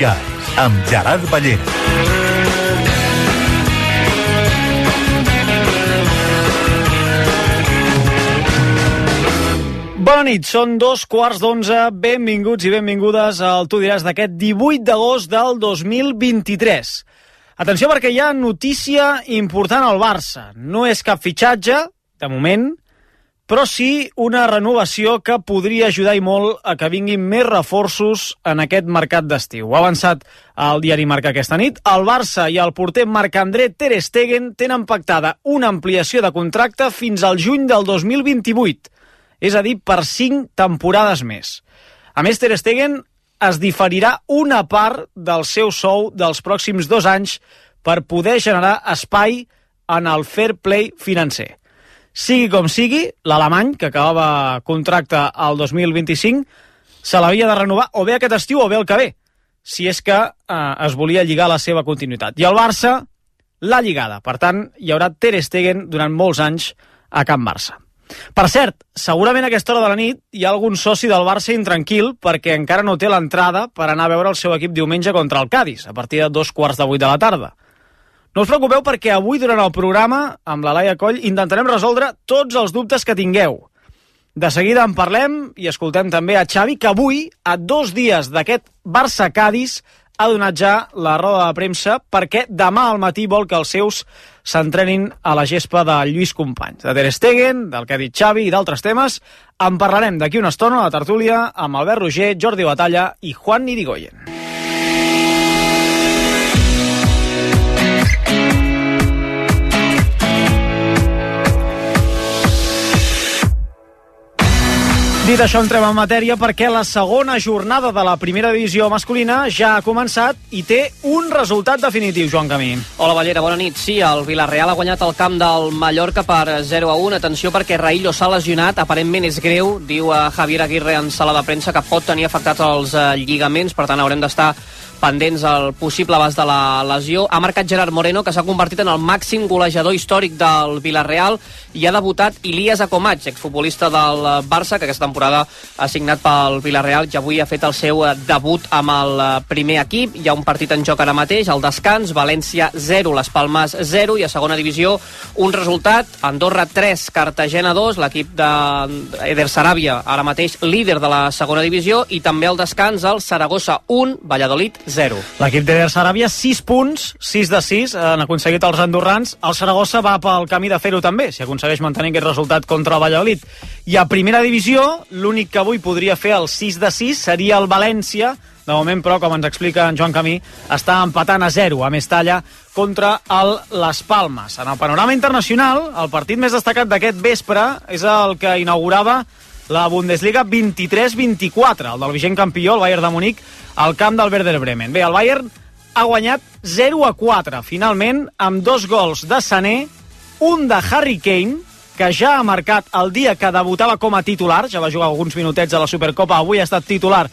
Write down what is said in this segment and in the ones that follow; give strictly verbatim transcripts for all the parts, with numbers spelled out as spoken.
Guys, amb Gerard Ballera. Bona nit, són dos quarts d'onze, benvinguts i benvingudes al Tu diràs d'aquest divuit d'agost del dos mil vint-i-tres. Atenció perquè hi ha notícia important al Barça. No és cap fitxatge, de moment, però sí una renovació que podria ajudar i molt a que vinguin més reforços en aquest mercat d'estiu. Ho ha avançat el diari Marca aquesta nit. El Barça i el porter Marc-André Ter Stegen tenen pactada una ampliació de contracte fins al juny del dos mil vint-i-vuit. És a dir, per cinc temporades més. A més, Ter Stegen es diferirà una part del seu sou dels pròxims dos anys per poder generar espai en el fair play financer. Sigui com sigui, l'alemany, que acabava contracte al dos mil vint-i-cinc, se l'havia de renovar o bé aquest estiu o bé el que ve, si és que eh, es volia lligar la seva continuïtat. I el Barça l'ha lligada. Per tant, hi haurà Ter Stegen durant molts anys a Can Barça. Per cert, segurament a aquesta hora de la nit hi ha algun soci del Barça intranquil perquè encara no té l'entrada per anar a veure el seu equip diumenge contra el Cádiz, a partir de dos quarts de vuit de la tarda. No us preocupeu perquè avui, durant el programa, amb la Laia Coll, intentarem resoldre tots els dubtes que tingueu. De seguida en parlem i escoltem també a Xavi, que avui, a dos dies d'aquest Barça-Cádiz, ha donat ja la roda de premsa perquè demà al matí vol que els seus s'entrenin a la gespa de Lluís Companys. De Ter Stegen, del que ha dit Xavi i d'altres temes, en parlarem d'aquí una estona a la tertúlia amb Albert Roger, Jordi Batalla i Juan Irigoyen. Dit això, entrem en matèria perquè la segona jornada de la primera divisió masculina ja ha començat i té un resultat definitiu, Joan Camí. Hola, Ballera, bona nit. Sí, el Villarreal ha guanyat el camp del Mallorca per zero a un. Atenció perquè Raillo s'ha lesionat, aparentment és greu, diu a Javier Aguirre en sala de premsa que pot tenir afectats els eh, lligaments, per tant haurem d'estar pendents al possible abast de la lesió. Ha marcat Gerard Moreno, que s'ha convertit en el màxim golejador històric del Villarreal, i ha debutat Ilias Akomach, exfutbolista del Barça, que aquesta temporada ha signat pel Villarreal i avui ha fet el seu debut amb el primer equip. Hi ha un partit en joc ara mateix, al descans, València zero, Les Palmes zero, i a segona divisió un resultat, Andorra tres, Cartagena dos, l'equip d'Eder Sarabia, ara mateix líder de la segona divisió, i també al descans el Saragossa un, Valladolid zero. L'equip d'Eder Sarabia, sis punts, sis de sis, han aconseguit els andorrans. El Saragossa va pel camí de fer-ho també, si aconsegueix mantenir aquest resultat contra el Valladolid. I a primera divisió, l'únic que avui podria fer el sis de sis seria el València. De moment, però, com ens explica en Joan Camí, està empatant a zero a Mestalla contra el Les Palmes. En el panorama internacional, el partit més destacat d'aquest vespre és el que inaugurava la Bundesliga vint-i-tres vint-i-quatre, el del vigent campió, el Bayern de Munic, al camp del Werder Bremen. Bé, el Bayern ha guanyat zero a quatre, finalment, amb dos gols de Sané, un de Harry Kane, que ja ha marcat el dia que debutava com a titular, ja va jugar alguns minutets a la Supercopa, avui ha estat titular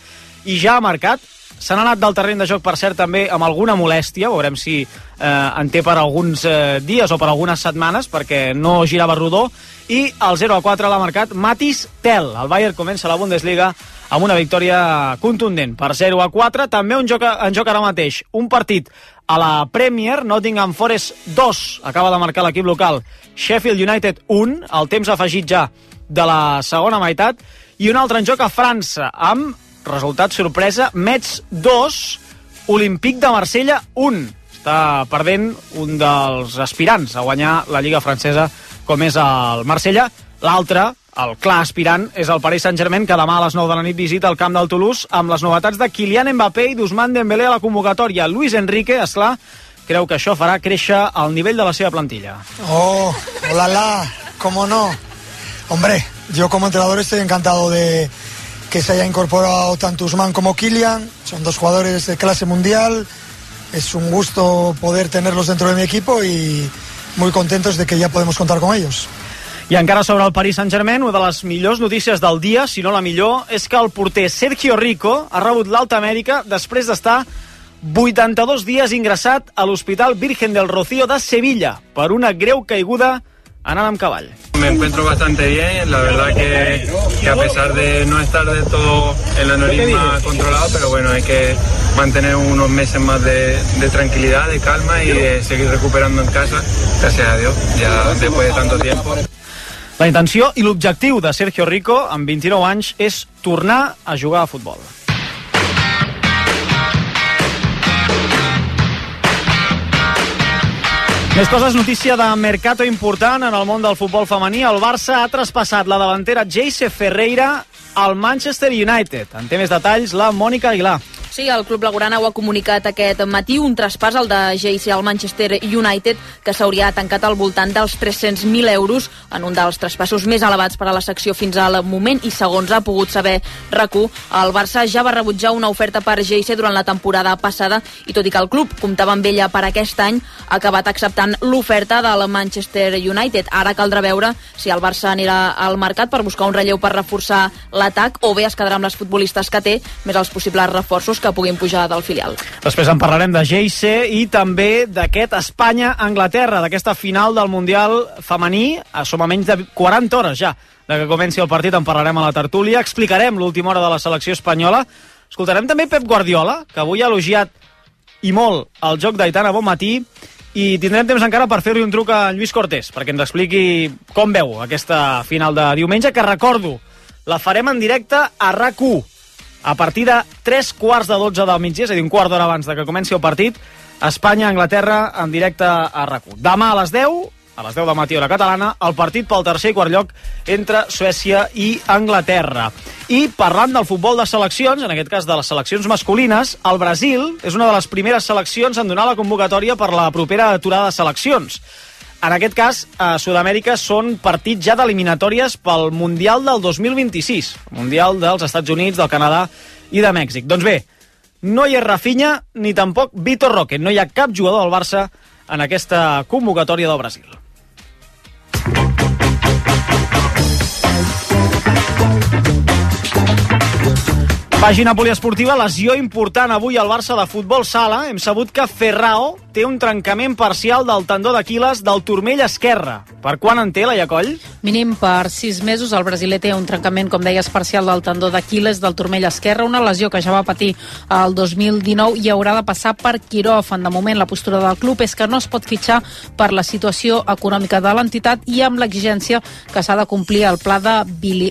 i ja ha marcat. Se n'ha anat del terreny de joc, per cert, també amb alguna molèstia, veurem si eh, en té per alguns eh, dies o per algunes setmanes, perquè no girava rodó, i el zero a quatre l'ha marcat Mathys Tel. El Bayern comença la Bundesliga amb una victòria contundent per zero a quatre. També un joc, en joc ara mateix un partit a la Premier, Nottingham Forest dos, acaba de marcar l'equip local, Sheffield United un, el temps afegit ja de la segona meitat, i un altre en joc a França, amb resultat sorpresa, Metz dos, Olympique de Marsella un. Està perdent un dels aspirants a guanyar la Lliga francesa, com és el Marsella. L'altre, el clar aspirant, és el Paris Saint-Germain, que demà a les nou de la nit visita el camp del Toulouse amb les novetats de Kylian Mbappé i d'Ousmane Dembélé a la convocatòria. Luis Enrique, esclar, creu que això farà créixer el nivell de la seva plantilla. Oh, hola, la, cómo no. Hombre, yo como entrenador estoy encantado de que se haya incorporado tanto Ousmane como Kylian. Son dos jugadores de clase mundial. Es un gusto poder tenerlos dentro de mi equipo y muy contentos de que ya podemos contar con ellos. I encara sobre el Paris Saint-Germain, una de les millors notícies del dia, si no la millor, és que el porter Sergio Rico ha rebut l'alta mèdica després d'estar vuitanta-dos dies ingressat a l'Hospital Virgen del Rocío de Sevilla per una greu caiguda anant amb cavall. Me encuentro bastante bien, la verdad que, que a pesar de no estar de todo el aneurisma controlado, pero bueno, hay que mantener unos meses más de, de tranquilidad, de calma y de seguir recuperando en casa, gracias a Dios, ya después de tanto tiempo. La intenció i l'objectiu de Sergio Rico, amb vint-i-nou anys, és tornar a jugar a futbol. Més coses, notícia de mercato important en el món del futbol femení. El Barça ha traspassat la davantera Jayce Ferreira al Manchester United. En té més detalls la Mònica Aguilar. Sí, el club blaugrana ho ha comunicat aquest matí, un traspàs, el de Jayce al Manchester United, que s'hauria tancat al voltant dels tres-cents mil euros, en un dels traspassos més elevats per a la secció fins al moment, i segons ha pogut saber RAC1, el Barça ja va rebutjar una oferta per Jayce durant la temporada passada, i tot i que el club comptava amb ella per aquest any, ha acabat acceptant l'oferta del Manchester United. Ara caldrà veure si el Barça anirà al mercat per buscar un relleu per reforçar l'atac, o bé es quedarà amb les futbolistes que té, més els possibles reforços que puguin pujar del filial. Després en parlarem de Jayce i també d'aquest Espanya-Anglaterra, d'aquesta final del Mundial femení. Som a menys de quaranta hores ja de que comenci el partit, en parlarem a la tertúlia, explicarem l'última hora de la selecció espanyola, escoltarem també Pep Guardiola, que avui ha elogiat i molt el joc d'Aitana Bonmatí, i tindrem temps encara per fer-li un truc a Lluís Cortés, perquè ens expliqui com veu aquesta final de diumenge, que recordo, la farem en directe a RAC1, a partir de tres quarts de dotze del migdia, és a dir, un quart d'hora abans de que comenci el partit, Espanya-Anglaterra en directe a RAC1. Demà a les deu, a les deu del matí hora catalana, el partit pel tercer i quart lloc entre Suècia i Anglaterra. I parlant del futbol de seleccions, en aquest cas de les seleccions masculines, el Brasil és una de les primeres seleccions en donar la convocatòria per la propera aturada de seleccions. En aquest cas, a Sud-amèrica són partits ja d'eliminatòries pel Mundial del dos mil vint-i-sis, el Mundial dels Estats Units, del Canadà i de Mèxic. Doncs bé, no hi ha Rafinha ni tampoc Vitor Roque, no hi ha cap jugador del Barça en aquesta convocatòria del Brasil. Pàgina poliesportiva, lesió important avui al Barça de futbol sala. Hem sabut que Ferrao té un trencament parcial del tendó d'Aquil·les del turmell esquerre. Per quan en té, Laia Coll? Mínim per sis mesos. El brasiler té un trencament, com deies, parcial del tendó d'Aquil·les del turmell esquerre, una lesió que ja va patir el dos mil dinou i haurà de passar per quiròfan. De moment, la postura del club és que no es pot fitxar per la situació econòmica de l'entitat i amb l'exigència que s'ha de complir el pla de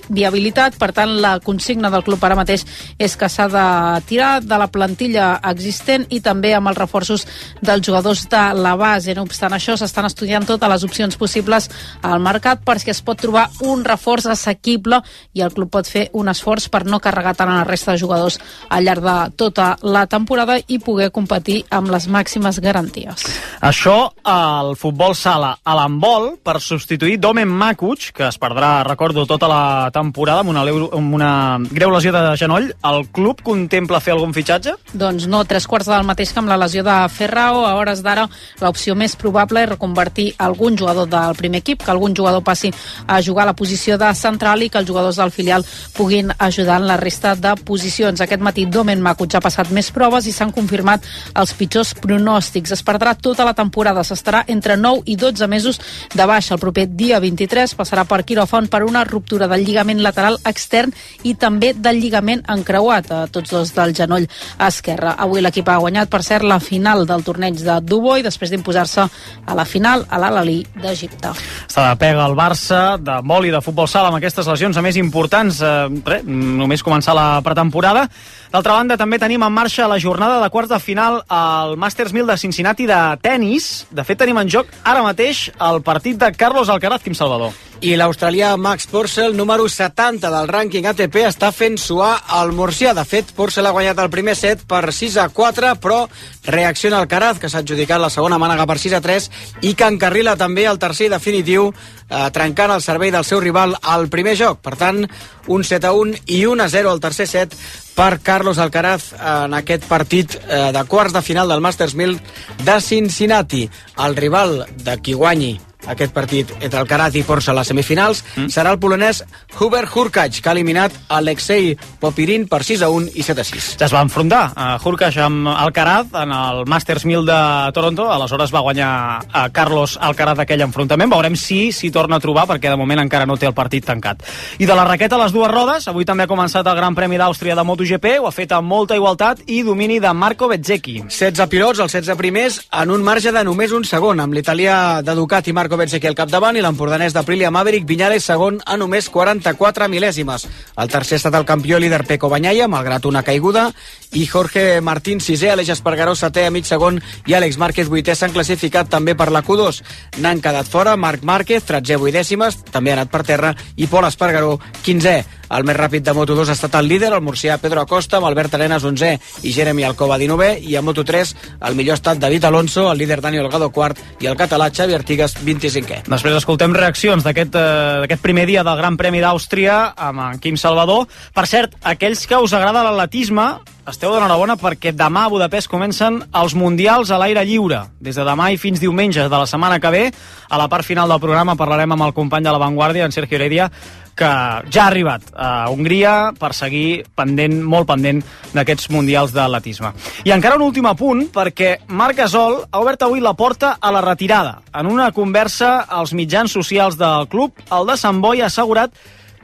viabilitat. Per tant, la consigna del club ara mateix és que s'ha de tirar de la plantilla existent i també amb els reforços dels jugadors de la base. No obstant això, s'estan estudiant totes les opcions possibles al mercat perquè es pot trobar un reforç assequible i el club pot fer un esforç per no carregar tant a la resta de jugadors al llarg de tota la temporada i poder competir amb les màximes garanties. Això al futbol sala. A l'handbol, per substituir Domen Makuc, que es perdrà, recordo, tota la temporada amb una, amb una greu lesió de genoll, el club contempla fer algun fitxatge? Doncs no, tres quarts del mateix que amb la lesió de Ferrao. A hores d'ara l'opció més probable és reconvertir algun jugador del primer equip, que algun jugador passi a jugar a la posició de central i que els jugadors del filial puguin ajudar en la resta de posicions. Aquest matí Domen Makuc ha passat més proves i s'han confirmat els pitjors pronòstics. Es perdrà tota la temporada, s'estarà entre nou i dotze mesos de baixa. El proper dia vint-i-tres passarà per quiròfan per una ruptura del lligament lateral extern i també del lligament encreuat, a tots dos del genoll esquerre. Avui l'equip ha guanyat, per cert, la final del torneig de Dubai després d'imposar-se a la final a l'Al-Ahly d'Egipte. Està de pega el Barça de vol i de futbol sala amb aquestes lesions a més importants, eh, res, només començar la pretemporada. D'altra banda, també tenim en marxa la jornada de quarts de final al Masters mil de Cincinnati de tennis. De fet, tenim en joc ara mateix el partit de Carlos Alcaraz, Quim Salvador. I l'australià Max Purcell, número setanta del rànquing A T P, està fent suar el murcià. De fet, Purcell ha guanyat el primer set per sis a quatre, però reacciona Alcaraz, que s'ha adjudicat la segona mànega per sis a tres i que encarrila també el tercer i definitiu, eh, trencant el servei del seu rival al primer joc. Per tant, un set a un i un a zero al tercer set per Carlos Alcaraz en aquest partit eh, de quarts de final del Masters mil de Cincinnati. El rival de qui guanyi aquest partit entre Alcaraz i Porcel a les semifinals, mm. serà el polonès Hubert Hurkacz, que ha eliminat Alexei Popirin per sis a un i set a sis. Ja es va enfrontar a Hurkacz amb Alcaraz en el Masters mil de Toronto, aleshores va guanyar a Carlos Alcaraz aquell enfrontament. Veurem si s'hi torna a trobar, perquè de moment encara no té el partit tancat. I de la raqueta a les dues rodes, avui també ha començat el Gran Premi d'Àustria de MotoGP, ho ha fet amb molta igualtat i domini de Marco Bezzecchi. setze pilots, els setze primers, en un marge de només un segon, amb l'italià de Ducati Marco Bezzecchi al capdavant i l'empordanès d'Aprilia Maverick Viñales segon a només quaranta-quatre mil·lèsimes. El tercer ha estat el campió líder Pecco Bagnaia, malgrat una caiguda, i Jorge Martín sisè, Aleix Espargaró setè a mig segon i Àlex Márquez vuitè s'han classificat també per la Q dos. N'han quedat fora Marc Márquez, tretzè vuit dècimes, també ha anat per terra, i Pol Espargaró, quinzè. El més ràpid de Moto dos ha estat el líder, el murcià Pedro Acosta, amb Albert Arenas onzè i Jeremy Alcoba dinovè, i a Moto tres el millor ha estat David Alonso, el líder Dani Olgado quart i el català Xavi Artigas vint-i-cinquè. Després escoltem reaccions d'aquest eh, primer dia del Gran Premi d'Àustria amb en Quim Salvador. Per cert, aquells que us agrada l'atletisme, esteu d'enhorabona perquè demà a Budapest comencen els Mundials a l'aire lliure. Des de demà i fins diumenge de la setmana que ve, a la part final del programa parlarem amb el company de La Vanguardia, en Sergio Heredia, que ja ha arribat a Hongria per seguir pendent, molt pendent d'aquests Mundials d'atletisme. I encara un últim apunt, perquè Marc Gasol ha obert avui la porta a la retirada. En una conversa als mitjans socials del club, el de Sant Boi ha assegurat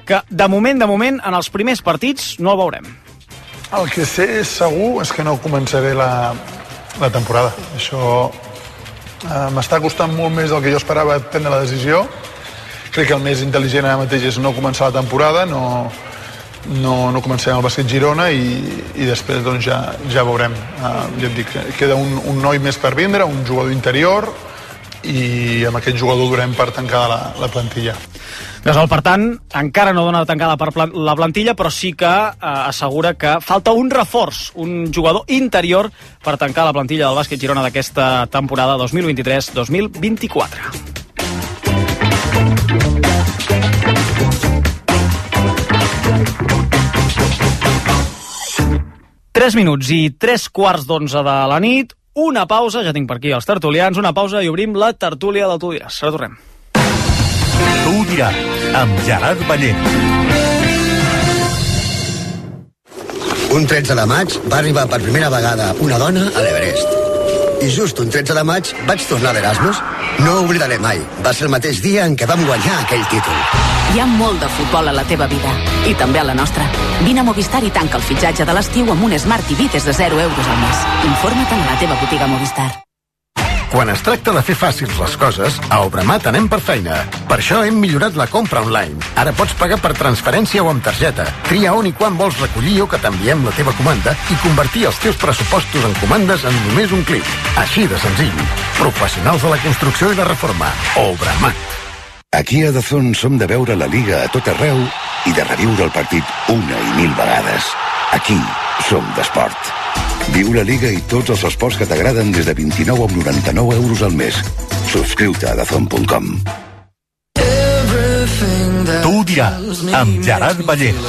que de moment, de moment, en els primers partits no el veurem. El que sé segur és que no començaré la, la temporada. Això eh, m'està costant molt més del que jo esperava prendre la decisió. Crec que el més intel·ligent ara mateix és no començar la temporada, no, no, no començarem el bàsquet Girona i, i després doncs, ja, ja veurem. Uh, ja et dic, queda un, un noi més per vindre, un jugador interior, i amb aquest jugador durem per tancar la, la plantilla. Gasol, per tant, encara no dona tancada per la plantilla, però sí que eh, assegura que falta un reforç, un jugador interior per tancar la plantilla del bàsquet Girona d'aquesta temporada dos mil vint-i-tres dos mil vint-i-quatre. Tres minuts i tres quarts d'onze de la nit, una pausa, ja tinc per aquí els tertulians, una pausa i obrim la tertúlia del Tu diràs. Ara tornem. Tu diràs, amb Gerard Ballent. Un tretze de maig va arribar per primera vegada una dona a l'Everest. I just un tretze de maig vaig tornar d'Erasmus. No ho oblidaré mai. Va ser el mateix dia en què vam guanyar aquell títol. Hi ha molt de futbol a la teva vida, i també a la nostra. Vine a Movistar i tanca el fitxatge de l'estiu amb un Smart T V des de zero euros al mes. Informa't a la teva botiga Movistar. Quan es tracta de fer fàcils les coses, a Obramat anem per feina. Per això hem millorat la compra online. Ara pots pagar per transferència o amb targeta. Tria on i quan vols recollir o que t'enviem la teva comanda i convertir els teus pressupostos en comandes en només un clic. Així de senzill. Professionals de la construcció i la reforma. Obramat. Aquí a Dazón som de veure la Liga a tot arreu i de reviure el partit una i mil vegades. Aquí som d'esport. Viu la Liga i tots els esports que t'agraden des de vint-i-nou coma noranta-nou euros al mes. Subscriu-te a dazón punt com. Tu diràs, amb Gerard Ballent.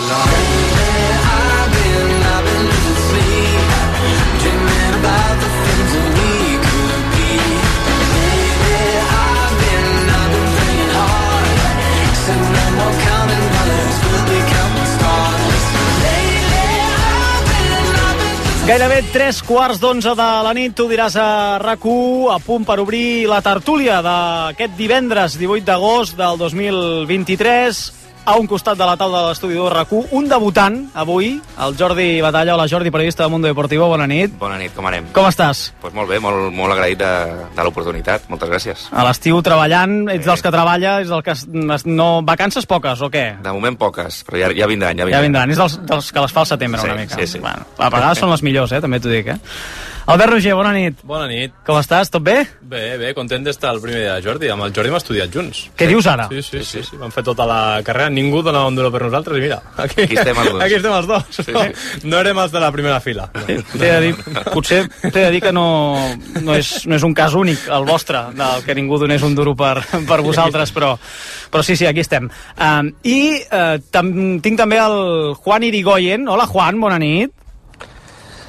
Gairebé tres quarts d'onze de la nit, Tu diràs a RAC u, a punt per obrir la tertúlia d'aquest divendres divuit d'agost del dos mil vint-i-tres. A un costat de la taula de l'estudi de RAC u, un debutant avui, el Jordi Batalla. Hola Jordi, periodista de Mundo Deportivo, bona nit. Bona nit, com anem? Com estàs? Pues molt bé, molt, molt agraït de, de l'oportunitat, moltes gràcies. A l'estiu treballant, ets dels que treballa, ets del que no... Vacances poques o què? De moment poques, però ja, ja vindran, ja vindran. Ja vindran, és dels, dels que les fa al setembre sí, una mica. Sí, sí. Bueno, a vegades són les millors, eh, també t'ho dic, eh? Albert Roger, bona nit. Bona nit. Com estàs? Tot bé? Bé, bé, content d'estar el primer dia de Jordi. Amb el Jordi hem estudiat junts. Què sí. dius ara? Sí sí, sí, sí, sí. Vam fer tota la carrera. Ningú donava un duro per nosaltres i mira, aquí, aquí estem els dos. Aquí estem els dos. Sí, sí. No, no érem els de la primera fila. No. Sí, t'he de dir, potser t'he de dir que no, no, és, no és un cas únic, el vostre, del que ningú donés un duro per, per vosaltres, però, però sí, sí, aquí estem. Um, I uh, tam, tinc també el Juan Irigoyen. Hola, Juan, bona nit.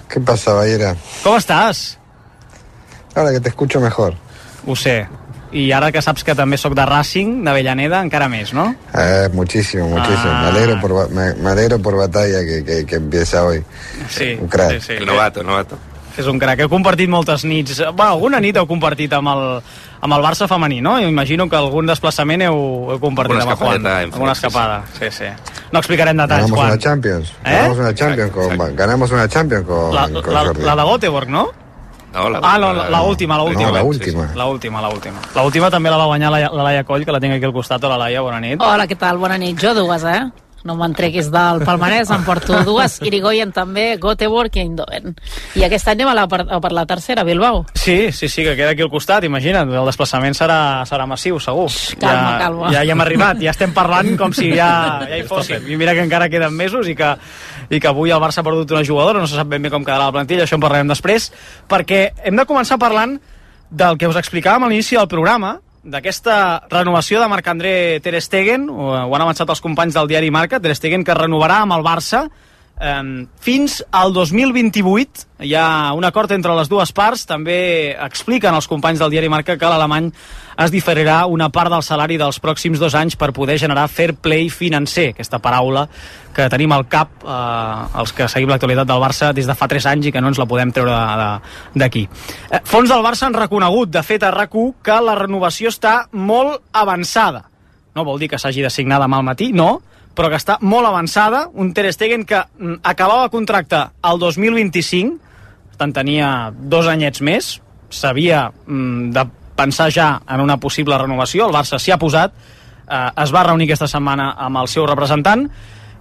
¿Qué pasa, Ballera? ¿Cómo estás? Ahora que te escucho mejor. Ho sé. i ara que saps que també sóc de Racing, d'Avellaneda, encara més, ¿no? Eh, muchísimo, muchísimo. Ah. Me alegro por, me, me alegro por Batalla que, que, que empieza hoy. Sí, un crack. Sí, sí. El novato, el novato. És un crack. Heu compartit moltes nits. Bueno, alguna nit heu compartit amb el, amb el Barça femení, no? Jo imagino que algun desplaçament heu, heu compartit amb el Juan. Alguna escapada. Sí, sí. No explicarem detalls, Ganamos Juan. una Champions. ¿Eh? Ganamos una Champions con, exacto. Ganamos una Champions con, la, con la, Jordi. la de Göteborg, no? No, la, ah, no, la, la última, la última. No, la última. Sí, sí. La última, la última. La última també la va guanyar la, la Laia Coll, que la tinc aquí al costat. Hola, Laia, bona nit. Hola, què tal? Bona nit. Jo dues, eh? No me'n treguis del palmarès, em porto dues. Irigoyen també, Göteborg i Eindhoven. I aquest any anem a, la, a per la tercera, Bilbao. Sí, sí, sí, que queda aquí al costat, imagina't. El desplaçament serà, serà massiu, segur. Calma, ja, calma. Ja hi hem arribat, ja estem parlant com si ja, ja hi fóssim. I mira que encara queden mesos i que, i que avui el Barça ha perdut una jugadora, no se sap ben bé com quedarà la plantilla, això en parlarem després, perquè hem de començar parlant del que us explicàvem a l'inici del programa, d'aquesta renovació de Marc-André Ter Stegen, ho, ho han avançat els companys del diari Marca, Ter Stegen que renovarà amb el Barça eh, fins al dos mil vint-i-vuit. Hi ha un acord entre les dues parts, també expliquen els companys del diari Marca que l'alemany es diferirà una part del salari dels pròxims dos anys per poder generar fair play financer, aquesta paraula que tenim al cap eh, els que seguim l'actualitat del Barça des de fa tres anys i que no ens la podem treure d'aquí. Eh, fons del Barça han reconegut, de fet a RAC u, que la renovació està molt avançada. No vol dir que s'hagi de signar demà al matí, no, però que està molt avançada. Un Ter Stegen que mm, acabava contracte el dos mil vint-i-cinc, per tant tenia dos anyets més, s'havia mm, de pensar ja en una possible renovació, el Barça s'hi ha posat, eh, es va reunir aquesta setmana amb el seu representant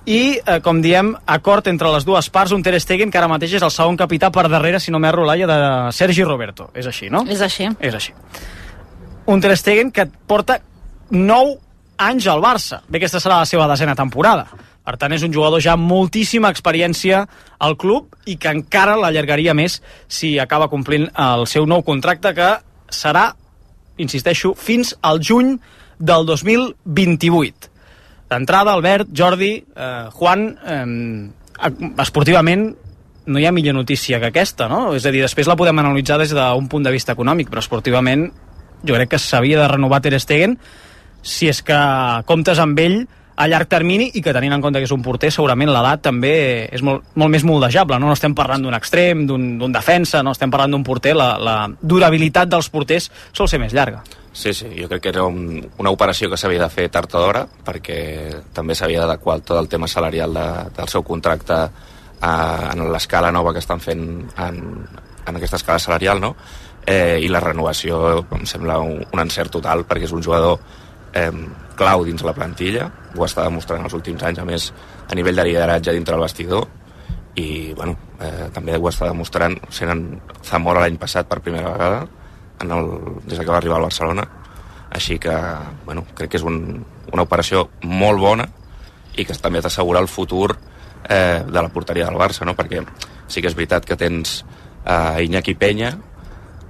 i, eh, com diem, acord entre les dues parts, un Ter Stegen que ara mateix és el segon capità per darrere, si no m'erro, Laia, de Sergi Roberto. És així, no? És així. És així. Un Ter Stegen que porta nou anys al Barça. Bé, aquesta serà la seva desena temporada. Per tant, és un jugador ja amb moltíssima experiència al club i que encara l'allargaria més si acaba complint el seu nou contracte, que serà, insisteixo, fins al juny del dos mil vint-i-vuit. D'entrada, Albert, Jordi, eh, Juan, eh, esportivament no hi ha millor notícia que aquesta, no? És a dir, després la podem analitzar des d'un punt de vista econòmic, però esportivament jo crec que s'havia de renovar Ter Stegen si és que comptes amb ell a llarg termini i que, tenint en compte que és un porter, segurament l'edat també és molt, molt més moldejable, no? No estem parlant d'un extrem, d'un defensa, no estem parlant d'un porter, la, la durabilitat dels porters sol ser més llarga. Sí, sí, jo crec que era un, una operació que s'havia de fer tard o d'hora, perquè també s'havia d'adequar tot el tema salarial de, del seu contracte a, en l'escala nova que estan fent en, en aquesta escala salarial, no? Eh, i la renovació em sembla un, un encert total, perquè és un jugador eh, clau dins la plantilla, ho està demostrant els últims anys, a més a nivell de lideratge dintre el vestidor, i bueno, eh, també ho està demostrant sent en Zamora l'any passat per primera vegada en el, des que va arribar al Barcelona, així que bueno, crec que és un, una operació molt bona i que també t'assegura el futur eh, de la porteria del Barça, no? Perquè sí que és veritat que tens eh, Iñaki Peña,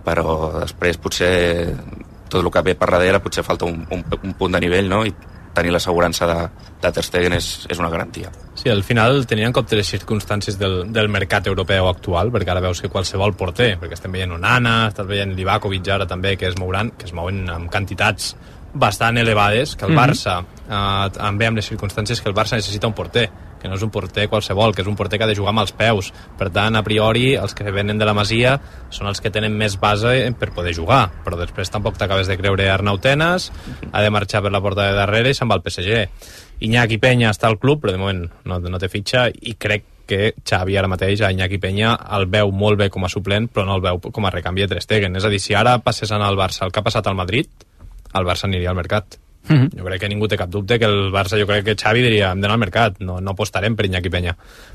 però després potser tot el que ve per darrere potser falta un, un, un punt de nivell, no? I tenir l'assegurança de, de Ter Stegen és, és una garantia. Sí, al final tenien en compte les circumstàncies del, del mercat europeu actual, perquè ara veus que qualsevol porter, perquè estem veient Onana, estàs veient Livakovic ara també, que es mouran, que es mouen amb quantitats bastant elevades, que el Barça, mm-hmm. eh, també amb les circumstàncies que el Barça necessita un porter, que no és un porter qualsevol, que és un porter que ha de jugar amb els peus. Per tant, a priori, els que venen de la Masia són els que tenen més base per poder jugar, però després tampoc t'acabes de creure Arnau Tenas, ha de marxar per la porta de darrere i se'n va al P S G. Iñaki Peña està al club, però de moment no, no té fitxa, i crec que Xavi ara mateix a Iñaki Peña el veu molt bé com a suplent, però no el veu com a recanvi de Ter Stegen. És a dir, si ara passés anar al Barça el que ha passat al Madrid, el Barça aniria al mercat. Mm-hmm. Jo crec que ningú té cap dubte que el Barça, jo crec que Xavi diria hem d'anar al mercat, no, no apostarem per Iñaki Peña.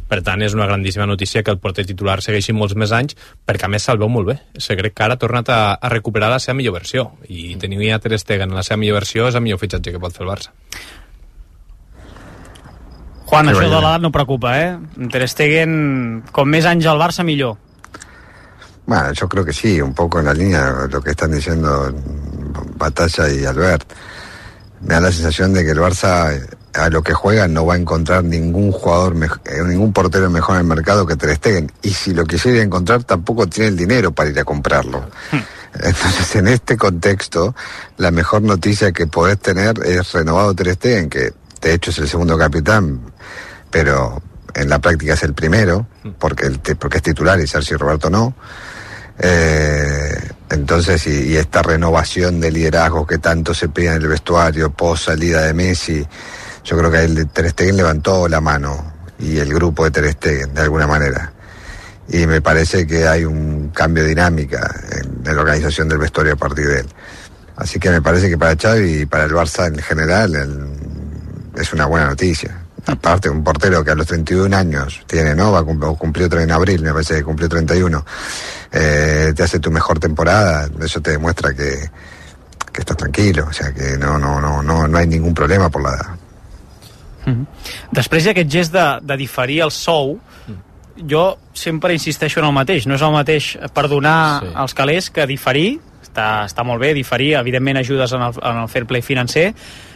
Per tant, és una grandíssima notícia que el porter titular segueixi molts més anys, perquè a més se'l veu molt bé. Se crec que ara ha tornat a, a recuperar la seva millor versió, i tenir a Ter Stegen en la seva millor versió és el millor fitxatge que pot fer el Barça. Juan, això de l'edat no preocupa, eh? Ter Stegen, com més anys al Barça, millor. Bueno, yo creo que sí, un poco en la línea de lo que están diciendo Batalla y Albert. Me da la sensación de que el Barça, a lo que juega, no va a encontrar ningún jugador, ningún portero mejor en el mercado que Ter Stegen. Y si lo quisiera encontrar, tampoco tiene el dinero para ir a comprarlo. Entonces, en este contexto, la mejor noticia que podés tener es renovado Ter Stegen, que de hecho es el segundo capitán, pero en la práctica es el primero, porque, el, porque es titular y Sergio Roberto no. Eh, entonces, y, y esta renovación de liderazgo que tanto se pide en el vestuario, post salida de Messi, yo creo que ahí el Ter Stegen levantó la mano, y el grupo de Ter Stegen, de alguna manera. Y me parece que hay un cambio de dinámica en, en la organización del vestuario a partir de él. Así que me parece que para Xavi y para el Barça en general el, es una buena noticia. Aparte, un portero que a los treinta y un años tiene, ¿no? Va a cumplir, cumplió en abril, me parece que cumplió treinta y uno. Eh, te hace tu mejor temporada, eso te demuestra que, que estás tranquilo, o sea que no, no, no, no, no hay ningún problema por la edad. Mm-hmm. Després d'aquest gest de, de diferir el sou, jo sempre insisteixo en el mateix, no és el mateix perdonar sí. els calés que diferir. Està, està molt bé diferir, evidentment ajudes en el, en el fair play financer.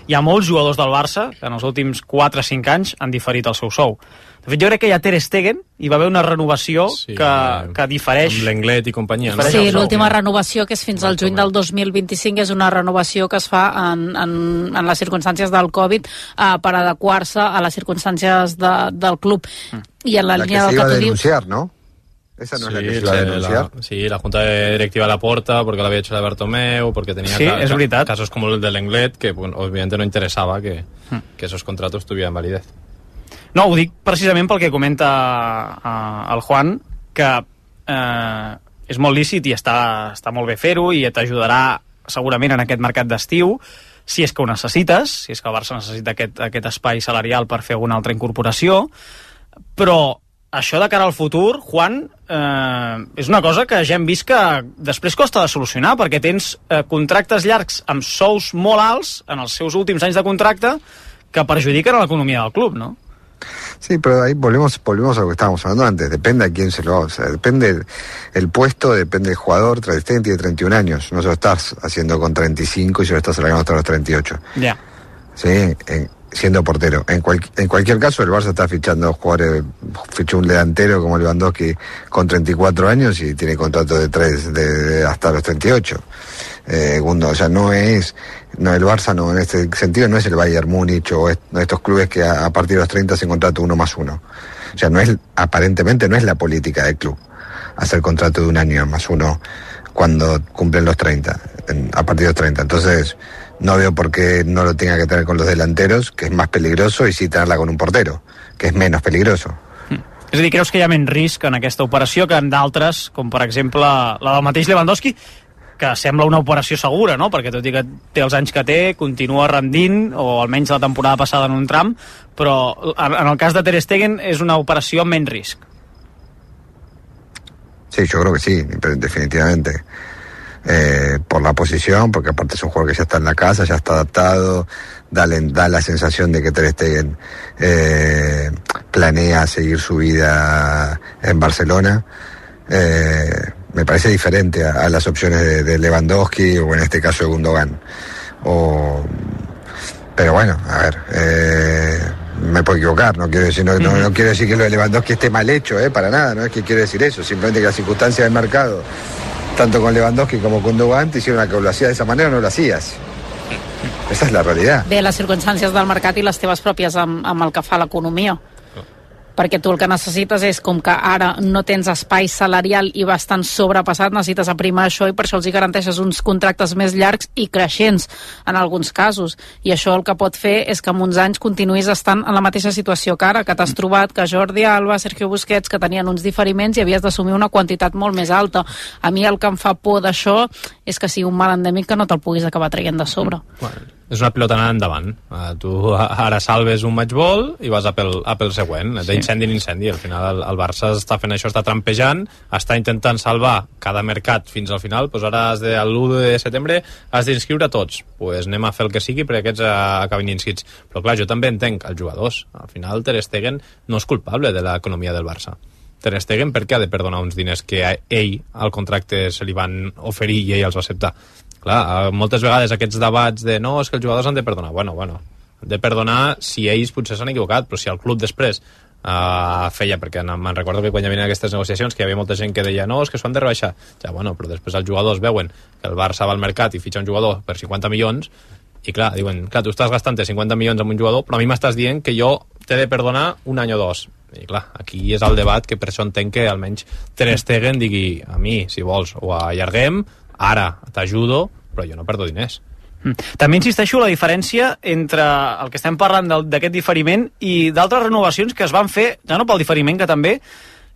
Hi ha molts jugadors del Barça que en els últims quatre o cinc anys han diferit el seu sou. De fet, jo crec que ja Ter Stegen hi va haver una renovació sí, que, que difereix... Amb l'Englet i companyia. No? Sí, l'última renovació, que és fins al juny del dos mil vint-i-cinc, és una renovació que es fa en, en, en les circumstàncies del Covid eh, per adequar-se a les circumstàncies de, del club. Mm. I en la, la línia que del que tu denunciar, dius... ¿no? Esa no sí, es la que se iba a denunciar. La, sí, la Junta Directiva la porta porque la había hecho la Bartomeu, porque tenía sí, ca ca casos como el del Englet, que bueno, obviamente no interesaba que, mm. que esos contratos tuvieran validez. No, ho dic precisament pel que comenta uh, el Juan, que uh, és molt lícit i està, està molt bé fer-ho i t'ajudarà segurament en aquest mercat d'estiu, si és que ho necessites, si és que el Barça necessita aquest, aquest espai salarial per fer alguna altra incorporació, però això de cara al futur, Juan, eh, és una cosa que ja hem vist que després costa de solucionar, perquè tens eh, contractes llargs amb sous molt alts en els seus últims anys de contracte que perjudiquen a l'economia del club, ¿no? Sí, pero ahí volvemos volvemos a lo que estábamos hablando antes, depende a quién se lo haga, o sea, depende el, el puesto, depende del jugador. Ter Stegen tiene treinta y un años, no se lo estás haciendo con treinta y cinco y se lo estás alargando hasta los treinta y ocho. Ya. Yeah. Sí, en, siendo portero. En, cual, en cualquier caso, el Barça está fichando jugadores, fichó un delantero como Lewandowski con treinta y cuatro años y tiene contrato de tres de, de hasta los treinta y ocho. Eh, Gundo, o sea, no es, no, el Barça no, en este sentido no es el Bayern Múnich o est, estos clubes que a, a partir de los treinta se contrata uno más uno. O sea, no es, aparentemente no es la política del club hacer contrato de un año más uno cuando cumplen los treinta, en, a partir de los treinta. Entonces, no veo por qué no lo tenga que tener con los delanteros, que es más peligroso, y sí tenerla con un portero, que es menos peligroso. Mm. És a dir, creus que hi ha menys risc en aquesta operació que en d'altres, com per exemple la del mateix Lewandowski, que sembla una operació segura, no? Perquè tot i que té els anys que té, continua rendint, o almenys la temporada passada en un tram, però en el cas de Ter Stegen és una operació amb menys risc. Sí, yo creo que sí, definitivamente. Eh, por la posición, porque aparte es un jugador que ya está en la casa, ya está adaptado, da, da la sensación de que Ter Stegen eh, planea seguir su vida en Barcelona. Eh, me parece diferente a, a las opciones de, de Lewandowski o en este caso de Gundogan. O, pero bueno, a ver, eh, me puedo equivocar, no quiero decir, no, no, no quiero decir que lo de Lewandowski esté mal hecho, eh, para nada, no es que quiero decir eso, simplemente que las circunstancias del mercado, tanto con Lewandowski como con Gundogan, te hicieron a que lo hacías de esa manera o no lo hacías. Esa és la realitat. Bé, les circumstàncies del mercat i les teves pròpies amb, amb el que fa l'economia. Perquè tu el que necessites és, com que ara no tens espai salarial i bastant sobrepassat, necessites aprimar això i per això els hi garanteixes uns contractes més llargs i creixents en alguns casos. I això el que pot fer és que en uns anys continuïs estant en la mateixa situació que ara, que t'has trobat que Jordi Alba, Sergio Busquets, que tenien uns diferiments i havies d'assumir una quantitat molt més alta. A mi el que em fa por d'això és que sigui un mal endèmic que no te'l puguis acabar traient de sobre. Bueno, és una pilota anant endavant. Uh, tu ara salves un matchball i vas a pel, a pel següent, sí. D'incendi en incendi. Al final el, el Barça està fent això, està trampejant, està intentant salvar cada mercat fins al final. Pues ara has de, l'u de setembre has d'inscriure tots. Pues anem a fer el que sigui perquè aquests acabin inscrits. Però clar, jo també entenc els jugadors. Al final Ter Stegen no és culpable de l'economia del Barça. Ter Stegen per què ha de perdonar uns diners que a ell al contracte se li van oferir i ell els va acceptar? Clar, moltes vegades aquests debats de no, és que els jugadors han de perdonar. Bueno, bueno, han de perdonar si ells potser s'han equivocat, però si el club després Uh, feia, perquè me'n recordo que quan hi havia aquestes negociacions que hi havia molta gent que deia no, és que s'ho han de rebaixar, ja bueno, però després els jugadors veuen que el Barça va al mercat i fitxa un jugador per cinquanta milions i clar, diuen, clar, tu estàs gastant cinquanta milions amb un jugador, però a mi m'estàs dient que jo t'he de perdonar un any o dos, i clar, aquí és el debat que per això entenc que almenys Ter Stegen digui, a mi, si vols ho allarguem, ara t'ajudo però jo no perdo diners. També insisteixo la diferència entre el que estem parlant d'aquest diferiment i d'altres renovacions que es van fer, ja no pel diferiment que també,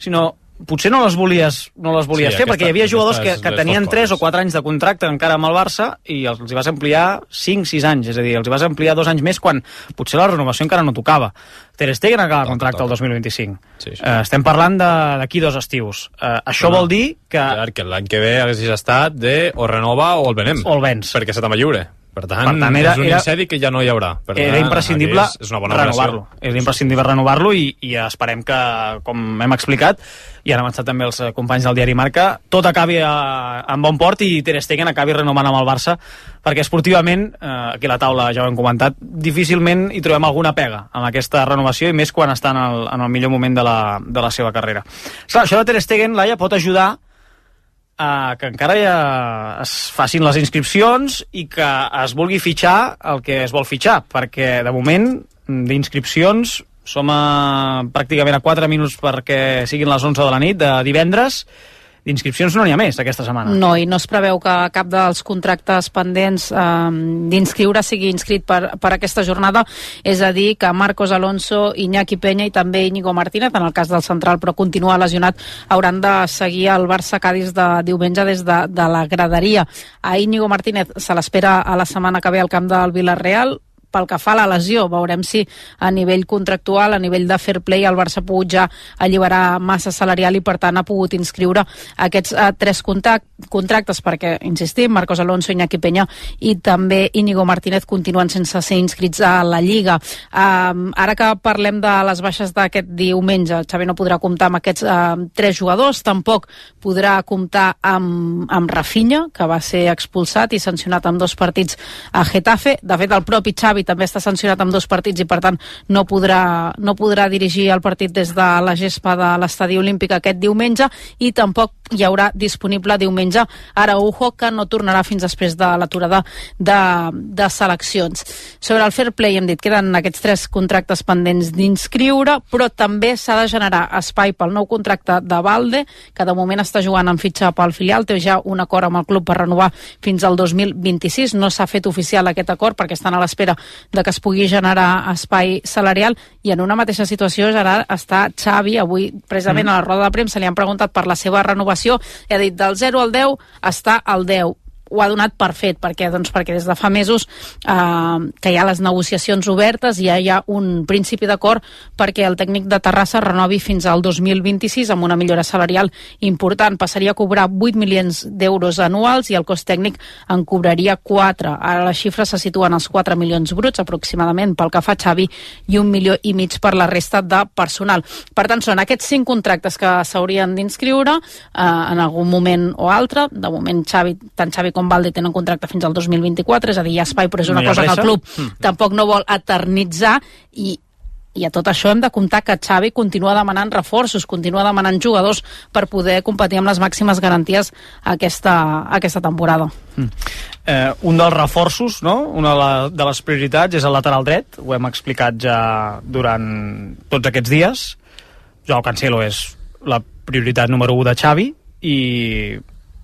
sinó potser no les volies, no les volies sí, fer, aquesta, perquè hi havia jugadors que, que tenien tres o quatre anys de contracte encara amb el Barça i els hi vas ampliar cinc sis anys, és a dir, els hi vas ampliar dos anys més quan potser la renovació encara no tocava. Ter Stegen acaba el contracte el dos mil vint-i-cinc. Sí, sí. Uh, estem parlant d'aquí dos estius. Uh, això no, vol dir que... Clar, que l'any que ve haguessis estat de o renova o el venem. O el vens. Perquè se t'ama lliure. Per tant, per tant era, és un era, incedi que ja no hi haurà. Per era tant, imprescindible és, és renovar-lo. Era imprescindible renovar-lo i, i esperem que, com hem explicat, i han avançat també els companys del diari Marca, tot acabi a, en bon port i Ter Stegen acabi renovant amb el Barça, perquè esportivament, eh, aquí a la taula ja ho hem comentat, difícilment hi trobem alguna pega amb aquesta renovació i més quan està en el, en el millor moment de la, de la seva carrera. Clar, això de Ter Stegen, Laia, pot ajudar Uh, que encara ja es facin les inscripcions i que es vulgui fitxar el que es vol fitxar, perquè de moment d'inscripcions som a, pràcticament a quatre minuts perquè siguin les onze de la nit de divendres. D'inscripcions no n'hi ha més aquesta setmana. No, i no es preveu que cap dels contractes pendents eh, d'inscriure sigui inscrit per, per aquesta jornada, és a dir, que Marcos Alonso, Iñaki Peña i també Íñigo Martínez, en el cas del central però continua lesionat, hauran de seguir el Barça-Cádiz de diumenge des de, de la graderia. A Íñigo Martínez se l'espera a la setmana que ve al camp del Villarreal. Pel que fa a la lesió, veurem si a nivell contractual, a nivell de fair play, el Barça ha pogut ja alliberar massa salarial i per tant ha pogut inscriure aquests uh, tres contractes perquè, insistim, Marcos Alonso, Iñaki Peña i també Íñigo Martínez continuen sense ser inscrits a la Lliga. Uh, ara que parlem de les baixes d'aquest diumenge, Xavi no podrà comptar amb aquests uh, tres jugadors, tampoc podrà comptar amb, amb Rafinha, que va ser expulsat i sancionat amb dos partits a Getafe. De fet, el propi Xavi també està sancionat amb dos partits i per tant no podrà, no podrà dirigir el partit des de la gespa de l'Estadi Olímpic aquest diumenge i tampoc hi haurà disponible diumenge Araujo, que no tornarà fins després de l'aturada de, de seleccions. Sobre el fair play hem dit que queden aquests tres contractes pendents d'inscriure, però també s'ha de generar espai pel nou contracte de Valde, que de moment està jugant en fitxa pel filial, té ja un acord amb el club per renovar fins al dos mil vint-i-sis, no s'ha fet oficial aquest acord perquè estan a l'espera de que es pugui generar espai salarial, i en una mateixa situació Gerard està Xavi. Avui precisament mm. a la roda de premsa li han preguntat per la seva renovació i ha dit del zero al deu està al deu. Ho ha donat per fet, perquè, doncs, perquè des de fa mesos eh, que hi ha les negociacions obertes i ja hi ha un principi d'acord perquè el tècnic de Terrassa renovi fins al dos mil vint-i-sis amb una millora salarial important. Passaria a cobrar vuit milions d'euros anuals i el cost tècnic en cobraria quatre. Ara les xifres se situen als quatre milions bruts aproximadament pel que fa a Xavi i un milió i mig per la resta de personal. Per tant, són aquests cinc contractes que s'haurien d'inscriure eh, en algun moment o altre. De moment Xavi, tant Xavi com com Valde tenen contracte fins al dos mil vint-i-quatre, és a dir, hi ha espai, però és una no cosa que el club mm. tampoc no vol eternitzar, i, i a tot això hem de comptar que Xavi continua demanant reforços, continua demanant jugadors per poder competir amb les màximes garanties aquesta, aquesta temporada. Mm. Eh, un dels reforços, no? Una de, la, de les prioritats és el lateral dret, ho hem explicat ja durant tots aquests dies. Joao Cancelo és la prioritat número u de Xavi i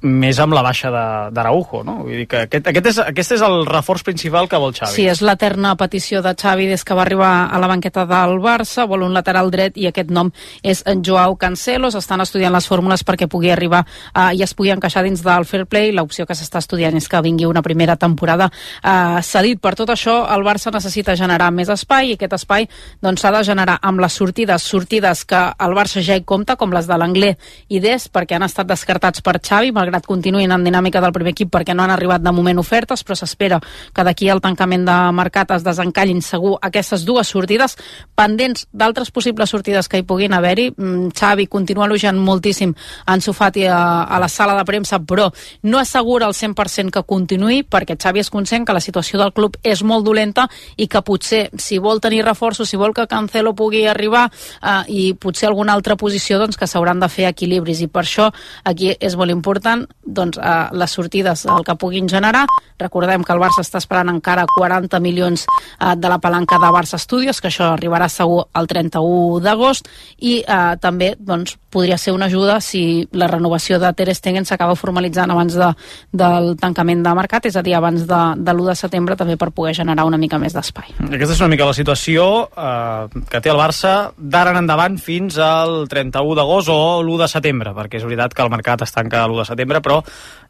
més amb la baixa d'Araujo, no? Vull dir que aquest, aquest, és, aquest és el reforç principal que vol Xavi. Sí, és l'eterna petició de Xavi des que va arribar a la banqueta del Barça, vol un lateral dret i aquest nom és en Joao Cancelo. S'estan estudiant les fórmules perquè pugui arribar uh, i es pugui encaixar dins del fair play. L'opció que s'està estudiant és que vingui una primera temporada uh, cedit. Per tot això, el Barça necessita generar més espai i aquest espai doncs, s'ha de generar amb les sortides, sortides que el Barça ja hi compta, com les de l'Anglès i Dest, perquè han estat descartats per Xavi, malgrat malgrat continuïn en dinàmica del primer equip perquè no han arribat de moment ofertes, però s'espera que d'aquí al tancament de mercat es desencallin segur aquestes dues sortides, pendents d'altres possibles sortides que hi puguin haver-hi. Xavi continua elogiant moltíssim Ansu Fati a, a la sala de premsa, però no assegura al cent per cent que continuï, perquè Xavi és conscient que la situació del club és molt dolenta i que potser, si vol tenir reforços, si vol que Cancelo pugui arribar eh, i potser alguna altra posició, doncs que s'hauran de fer equilibris, i per això aquí és molt important doncs, eh, les sortides, el que puguin generar. Recordem que el Barça està esperant encara quaranta milions eh, de la palanca de Barça Studios, que això arribarà segur el trenta-u d'agost, i eh, també doncs, podria ser una ajuda si la renovació de Ter Stegen s'acaba formalitzant abans de, del tancament de mercat, és a dir, abans de, de l'u de setembre, també per poder generar una mica més d'espai. Aquesta és una mica la situació eh, que té el Barça d'ara en endavant fins al trenta-u d'agost o l'u de setembre, perquè és veritat que el mercat es tanca l'u de setembre, però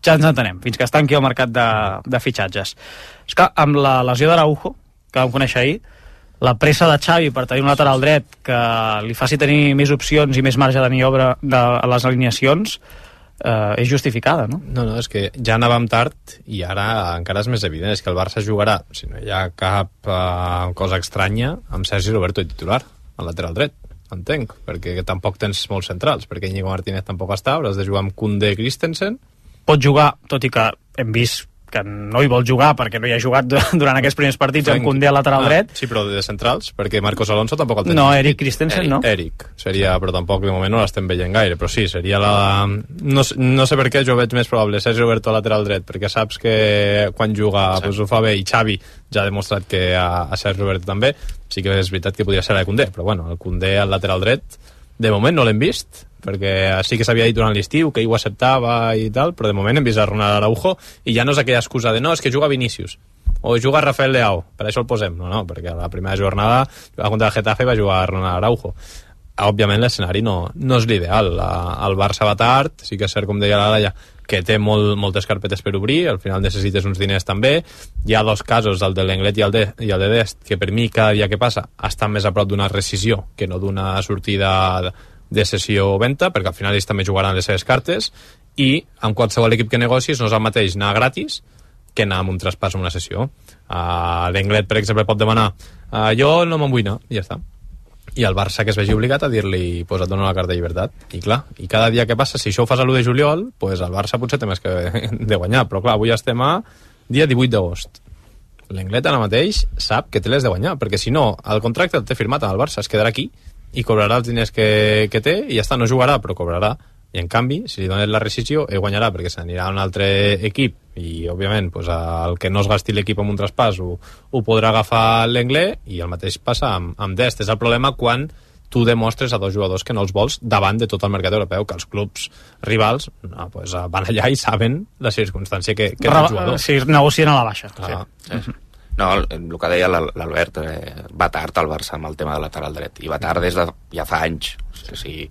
ja ens entenem, fins que es tanqui el mercat de, de fitxatges. És que amb la lesió d'Araujo, que vam conèixer ahir, la pressa de Xavi per tenir un lateral dret que li faci tenir més opcions i més marge de maniobra de les alineacions eh, és justificada, no? No, no, és que ja anàvem tard i ara encara és més evident, és que el Barça jugarà, si no hi ha cap eh, cosa estranya, amb Sergi Roberto de titular, al lateral dret, entenc, perquè tampoc tens molts centrals, perquè Íñigo Martínez tampoc està, hauràs de jugar amb Koundé i Christensen. Pot jugar, tot i que hem vist que no hi vol jugar perquè no hi ha jugat durant aquests primers partits amb Koundé al lateral ah, dret. Sí, però de centrals, perquè Marcos Alonso tampoc el tens. No, Eric Christensen, Eric, no? Eric, seria, però tampoc de moment no l'estem veient gaire, però sí, seria la... No, no sé per què jo veig més probable Sergi Roberto al lateral dret, perquè saps que quan juga sí. pues, ho fa bé, i Xavi ja ha demostrat que a, a Sergi Roberto també, sí que és veritat que podria ser a Koundé, però bueno, el Koundé al lateral dret de moment no l'hem vist, perquè sí que s'havia dit durant l'estiu que ell ho acceptava i tal, però de moment hem vist a Ronald Araujo i ja no és aquella excusa de no, és que juga Vinícius o juga Rafael Leao, per això el posem. No, no, perquè a la primera jornada contra el Getafe va jugar Ronald Araujo. Òbviament l'escenari no, no és l'ideal. El Barça va tard, sí que és cert, com deia la Laia, que té molt, moltes carpetes per obrir, al final necessites uns diners també. Hi ha dos casos, el de l'Englet i el de, i el de Dest, que per mi cada dia que passa estan més a prop d'una rescissió que no d'una sortida de sessió o venda, perquè al final ells també jugaran les seves cartes, i amb qualsevol equip que negocis no és el mateix anar gratis que anar amb un traspàs o una sessió. Uh, L'Englet, per exemple, pot demanar uh, jo no me'n vull anar, i ja està. I el Barça que es vegi obligat a dir-li pues et dono la carta de llibertat, i clar, i cada dia que passa, si això ho fas a l'u de juliol, pues el Barça potser té més que de guanyar, però clar, avui estem a dia divuit d'agost. L'Englet ara mateix sap que té les de guanyar, perquè si no, el contracte el té firmat amb el Barça, es quedarà aquí i cobrarà els diners que, que té i ja està, no jugarà, però cobrarà. I en canvi, si li dones la rescissió, ell guanyarà perquè s'anirà a un altre equip i, òbviament, pues, el que no es gasti l'equip amb un traspàs ho, ho podrà agafar l'Englet, i el mateix passa amb, amb Dest. És el problema quan tu demostres a dos jugadors que no els vols davant de tot el mercat europeu, que els clubs rivals no, pues, van allà i saben la circumstància que, que Ra- el jugador. Sí, negocien a la baixa. Ah, sí. Sí. No, el, el que deia l'Albert, eh, va tard el Barça amb el tema del lateral dret, i va tard des de ja fa anys. O sigui,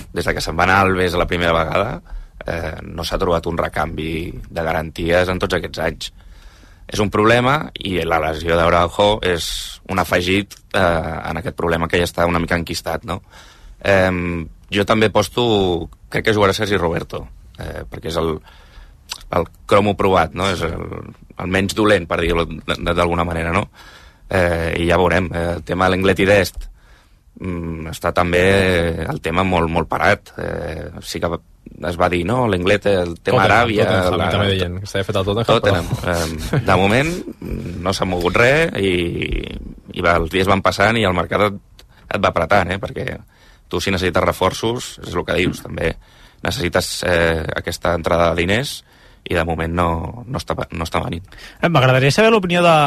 des de que se'n va anar Alves la primera vegada, eh, no s'ha trobat un recanvi de garanties en tots aquests anys. És un problema, i la lesió d'Araujo és un afegit eh, en aquest problema que ja està una mica enquistat, no? Eh, jo també posto, crec que jugarà Sergi Roberto, eh, perquè és el, el cromo provat, no? És el, el menys dolent, per dir-ho d'alguna manera, no? Eh, I ja veurem. Eh, el tema de l'Englet i Dest mm, està també el tema molt, molt parat. Eh, sí que es va dir, no? L'Englet, el tema Tottenham, Aràbia... Tottenham, la, també deien que s'havia fet el Tottenham. Tottenham. Eh, de moment no s'ha mogut res i, i va, els dies van passant i el mercat et, et va apretant, eh? Perquè tu, si necessites reforços, és el que dius, també necessites eh, aquesta entrada de diners, i de moment no, no, està, no està venint. M'agradaria saber l'opinió de,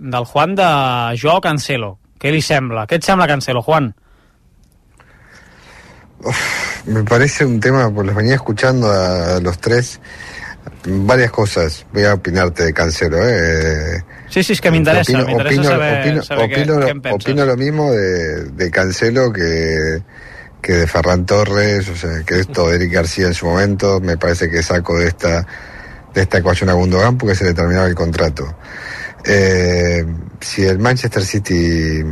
del Juan de Joao Cancelo. Què li sembla? Què et sembla Cancelo, Juan? Uf, me parece un tema, pues los venía escuchando a los tres, varias cosas. Voy a opinarte de Cancelo, ¿eh? Sí, sí, es que m'interessa, opino, m'interessa opino, saber, opino, saber opino, què, lo, què en penses. opino lo mismo de, de Cancelo que, que de Ferran Torres, o sea, que esto de Eric García en su momento. Me parece que saco de esta de esta ecuación a Gundogan porque se le terminaba el contrato. Eh, si el Manchester City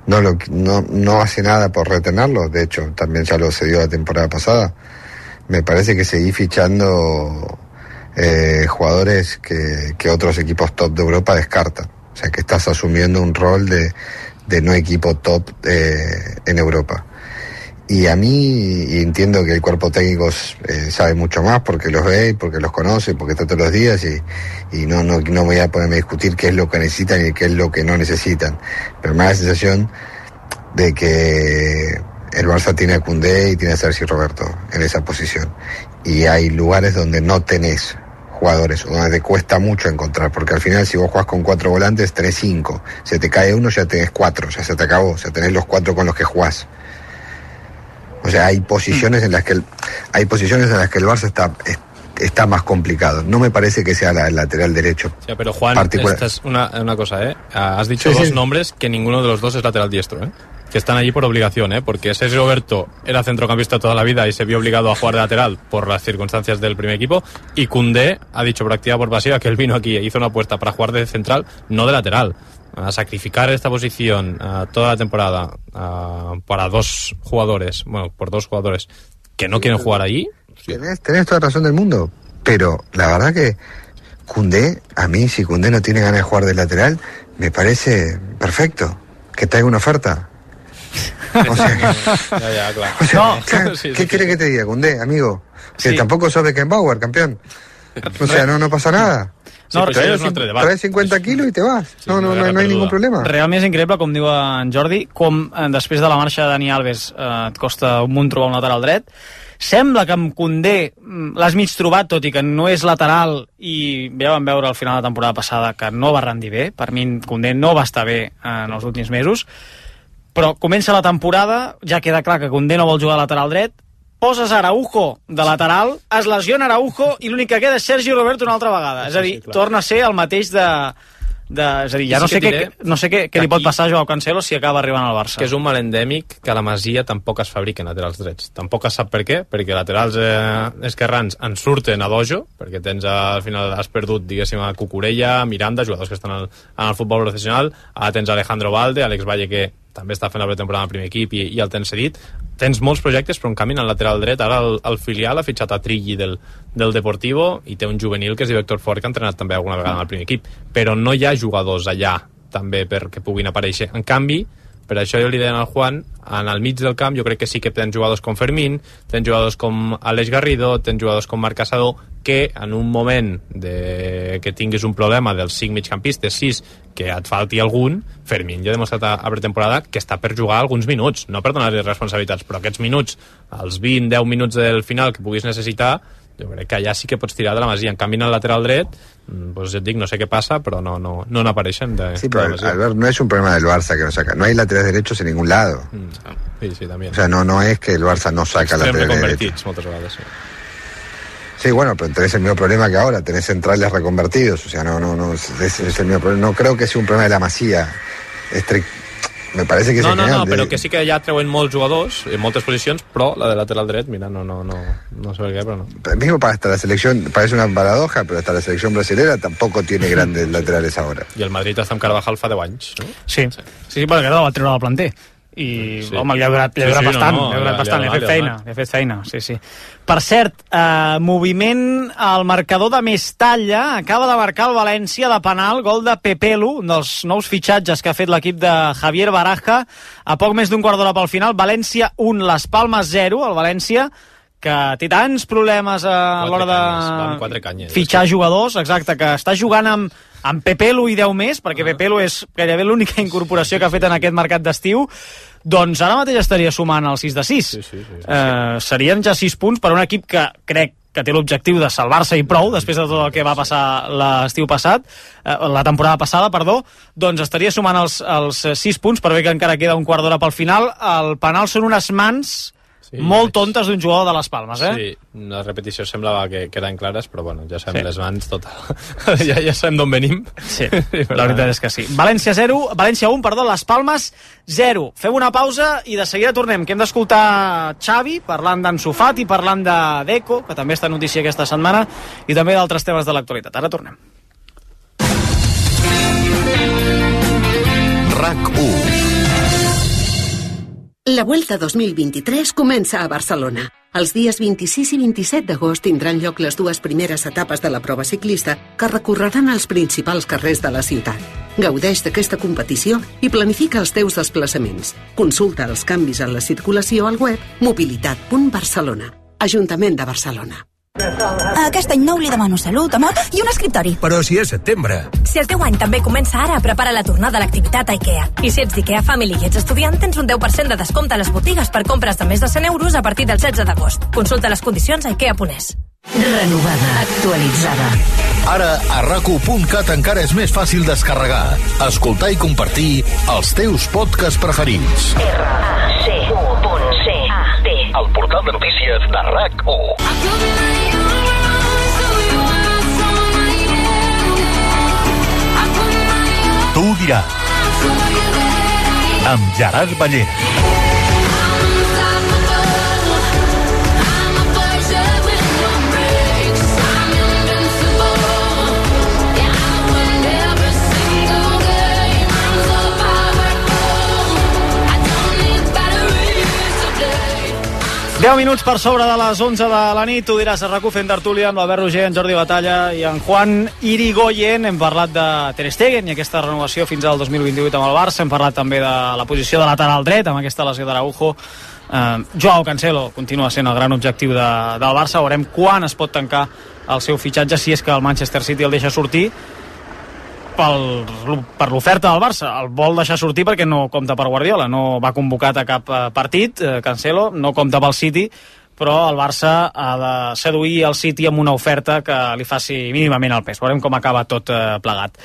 no, lo, no, no hace nada por retenerlo, de hecho también ya lo cedió la temporada pasada, me parece que seguís fichando eh, jugadores que, que otros equipos top de Europa descartan. O sea, que estás asumiendo un rol de, de no equipo top eh, en Europa. Y a mí, y entiendo que el cuerpo técnico eh, sabe mucho más porque los ve, porque los conoce, porque está todos los días y, y no, no, no voy a ponerme a discutir qué es lo que necesitan y qué es lo que no necesitan. Pero me da la sensación de que el Barça tiene a Koundé y tiene a Sergi Roberto en esa posición. Y hay lugares donde no tenés jugadores, o donde te cuesta mucho encontrar, porque al final si vos jugás con cuatro volantes tenés cinco. Se te cae uno, ya tenés cuatro, ya se te acabó, o sea, tenés los cuatro con los que jugás. O sea, hay posiciones en las que el, hay posiciones en las que el Barça está, es, está más complicado. No me parece que sea la, el lateral derecho. Sí, pero Juan, esta es una, una cosa, ¿eh? Has dicho sí, dos sí. nombres que ninguno de los dos es lateral diestro, ¿eh? Que están allí por obligación, ¿eh? Porque Sergi Roberto era centrocampista toda la vida y se vio obligado a jugar de lateral por las circunstancias del primer equipo, y Koundé ha dicho por activa por pasiva que él vino aquí e hizo una apuesta para jugar de central, no de lateral. A sacrificar esta posición uh, toda la temporada uh, para dos jugadores, bueno, por dos jugadores que no quieren jugar ahí. Tenés, tenés toda la razón del mundo, pero la verdad que Koundé, a mí, si Koundé no tiene ganas de jugar de lateral, me parece perfecto que traiga una oferta. O sea, ya, ya, claro. O sea, No. ¿qué, Sí, ¿qué sí, quiere sí. que te diga, Koundé, amigo? Que Sí. tampoco sos Beckenbauer, campeón. O sea, no, no pasa nada. No, Sí, traes, traes cinquanta quilos i te vas. Sí, no, no, no, no hi ha ningú problema. Realment és increïble, com diu en Jordi, com eh, després de la marxa de Dani Alves eh, et costa un munt trobar un lateral dret. Sembla que amb Koundé mm, l'has mig trobat, tot i que no és lateral, i ja vam veure al final de la temporada passada que no va rendir bé. Per mi Koundé no va estar bé en els últims mesos, però comença la temporada, ja queda clar que Koundé no vol jugar a lateral dret, poses Araujo de lateral, es lesiona Araujo i l'únic que queda és Sergi Roberto una altra vegada. Sí, és a dir, sí, torna a ser el mateix de... de és a dir, ja no sé, què, no sé què, què li pot passar a Joao Cancelo si acaba arribant al Barça. Que és un mal endèmic que a la Masia tampoc es fabriquen laterals drets. Tampoc es sap per què, perquè laterals eh, esquerrans en surten a dojo, perquè tens al final has perdut, diguéssim, a Cucurella, Miranda, jugadors que estan al, en el futbol professional, ara tens Alejandro Valde, Alex Valle, que també està fent la pretemporada en el primer equip i, i el tens cedit. Tens molts projectes, però en canvi en el lateral dret ara el, el filial ha fitxat a Trilli del, del Deportivo i té un juvenil que és Víctor Fort, que ha entrenat també alguna vegada en el primer equip, però no hi ha jugadors allà també perquè puguin aparèixer. En canvi, per això jo li deia al Juan, en el mig del camp jo crec que sí que tens jugadors com Fermín, tens jugadors com Aleix Garrido, tens jugadors com Marc Casador, que en un moment de... que tinguis un problema dels cinc migcampistes, sis, que et falti algun, Fermín ja ha demostrat a, a pretemporada que està per jugar alguns minuts, no per donar-li responsabilitats, però aquests minuts, els vint deu minuts del final que puguis necessitar, jo crec que allà sí que pots tirar de la Masia. En canvi, en el lateral dret, pues ja et dic, no sé què passa, però no, no, no n'apareixen de, sí, pero de la Masia. Albert, no es un problema del Barça que no saca. No hay laterales derechos en ningún lado. Mm. Sí, sí, también. O sea, no, no es que el Barça no saca laterales derechos. Moltes vegades, sí. Sí, bueno, pero tenés el mismo problema que ahora, tenés centrales reconvertidos, o sea, no, no, no, es, es el mismo problema. No creo que sea un problema de la Masia. Estric... Me parece que és no, no, genial. No, però que sí que ja treuen molts jugadors en moltes posicions, però la de lateral dret, mira, no, no, no, no sé per què, però no. Mismo para hasta la selección, parece una paradoja, pero hasta la selección brasilera tampoco tiene grandes laterales ahora. I el Madrid està amb Carvajal fa deu anys, no? Sí, sí, sí, sí perquè el va treure del planter. I, sí. home, li ha durat, li ha durat sí, sí, bastant, no, no, li ha durat bastant, li ha fet feina, li ha fet feina, sí, sí. Per cert, eh, moviment al marcador de Mestalla, acaba de marcar el València de penal, gol de Pepelu, un dels nous fitxatges que ha fet l'equip de Javier Baraja, a poc més d'un quart d'hora pel final, València un, Las Palmes zero, el València que té tants problemes a l'hora de canyes, fitxar jugadors, exacte, que està jugant amb, amb Pepelu i deu més, perquè uh -huh. Pepelu és gairebé l'única incorporació que ha fet en aquest mercat d'estiu, doncs ara mateix estaria sumant el sis de sis. Sí, sí, sí, sí, sí. Eh, serien ja sis punts per un equip que crec que té l'objectiu de salvar-se i prou després de tot el que va passar l'estiu passat, eh, la temporada passada, perdó, doncs estaria sumant els, els sis punts, per bé que encara queda un quart d'hora pel final. El penal són unes mans sí, molt tontes d'un jugador de les Palmes, eh? Sí, la repetició semblava que, que eren clares, però bueno, ja sabem sí. les mans, total. ja, ja sabem d'on venim. Sí, la veritat és que sí. València zero, València un, perdó, les Palmes zero. Fem una pausa i de seguida tornem, que hem d'escoltar Xavi parlant d'Ansu Fati, parlant de Deco, que també està notícia aquesta setmana, i també d'altres temes de l'actualitat. Ara tornem. RAC u. La Vuelta dos mil vint-i-tres comença a Barcelona. Els dies vint-i-sis i vint-i-set d'agost tindran lloc les dues primeres etapes de la prova ciclista que recorreran els principals carrers de la ciutat. Gaudeix d'aquesta competició i planifica els teus desplaçaments. Consulta els canvis en la circulació al web mobilitat punt barcelona. Ajuntament de Barcelona. Aquest any nou li demano salut, amor i un escriptori. Però si és setembre. Si el teu any també comença ara, prepara la tornada a l'activitat a IKEA. I si ets d'IKEA Family i ets estudiant, tens un deu per cent de descompte a les botigues per compres de més de cent euros a partir del setze d'agost. Consulta les condicions a ikea punt es. Renovada, actualitzada. Ara a raco punt cat encara és més fàcil descarregar, escoltar i compartir els teus podcasts preferits. R A C U punt C A T. El portal de notícies de RAC-U. Tu ho diràs. Amb Gerard Ballera. deu minuts per sobre de les onze de la nit, tu diràs a RAC-U fent tertúlia amb l'Albert Roger, en Jordi Batalla i en Juan Irigoyen. Hem parlat de Ter Stegen i aquesta renovació fins al dos mil vint-i-vuit amb el Barça. Hem parlat també de la posició de lateral dret amb aquesta lesió d'Araujo. Eh, Joao Cancelo continua sent el gran objectiu de, del Barça. Veurem quan es pot tancar el seu fitxatge, si és que el Manchester City el deixa sortir. Pel, per l'oferta del Barça, el vol deixar sortir perquè no compta per Guardiola, no va convocat a cap partit, eh, Cancelo, no compta pel City, però el Barça ha de seduir el City amb una oferta que li faci mínimament el pes. Veurem com acaba tot eh, plegat.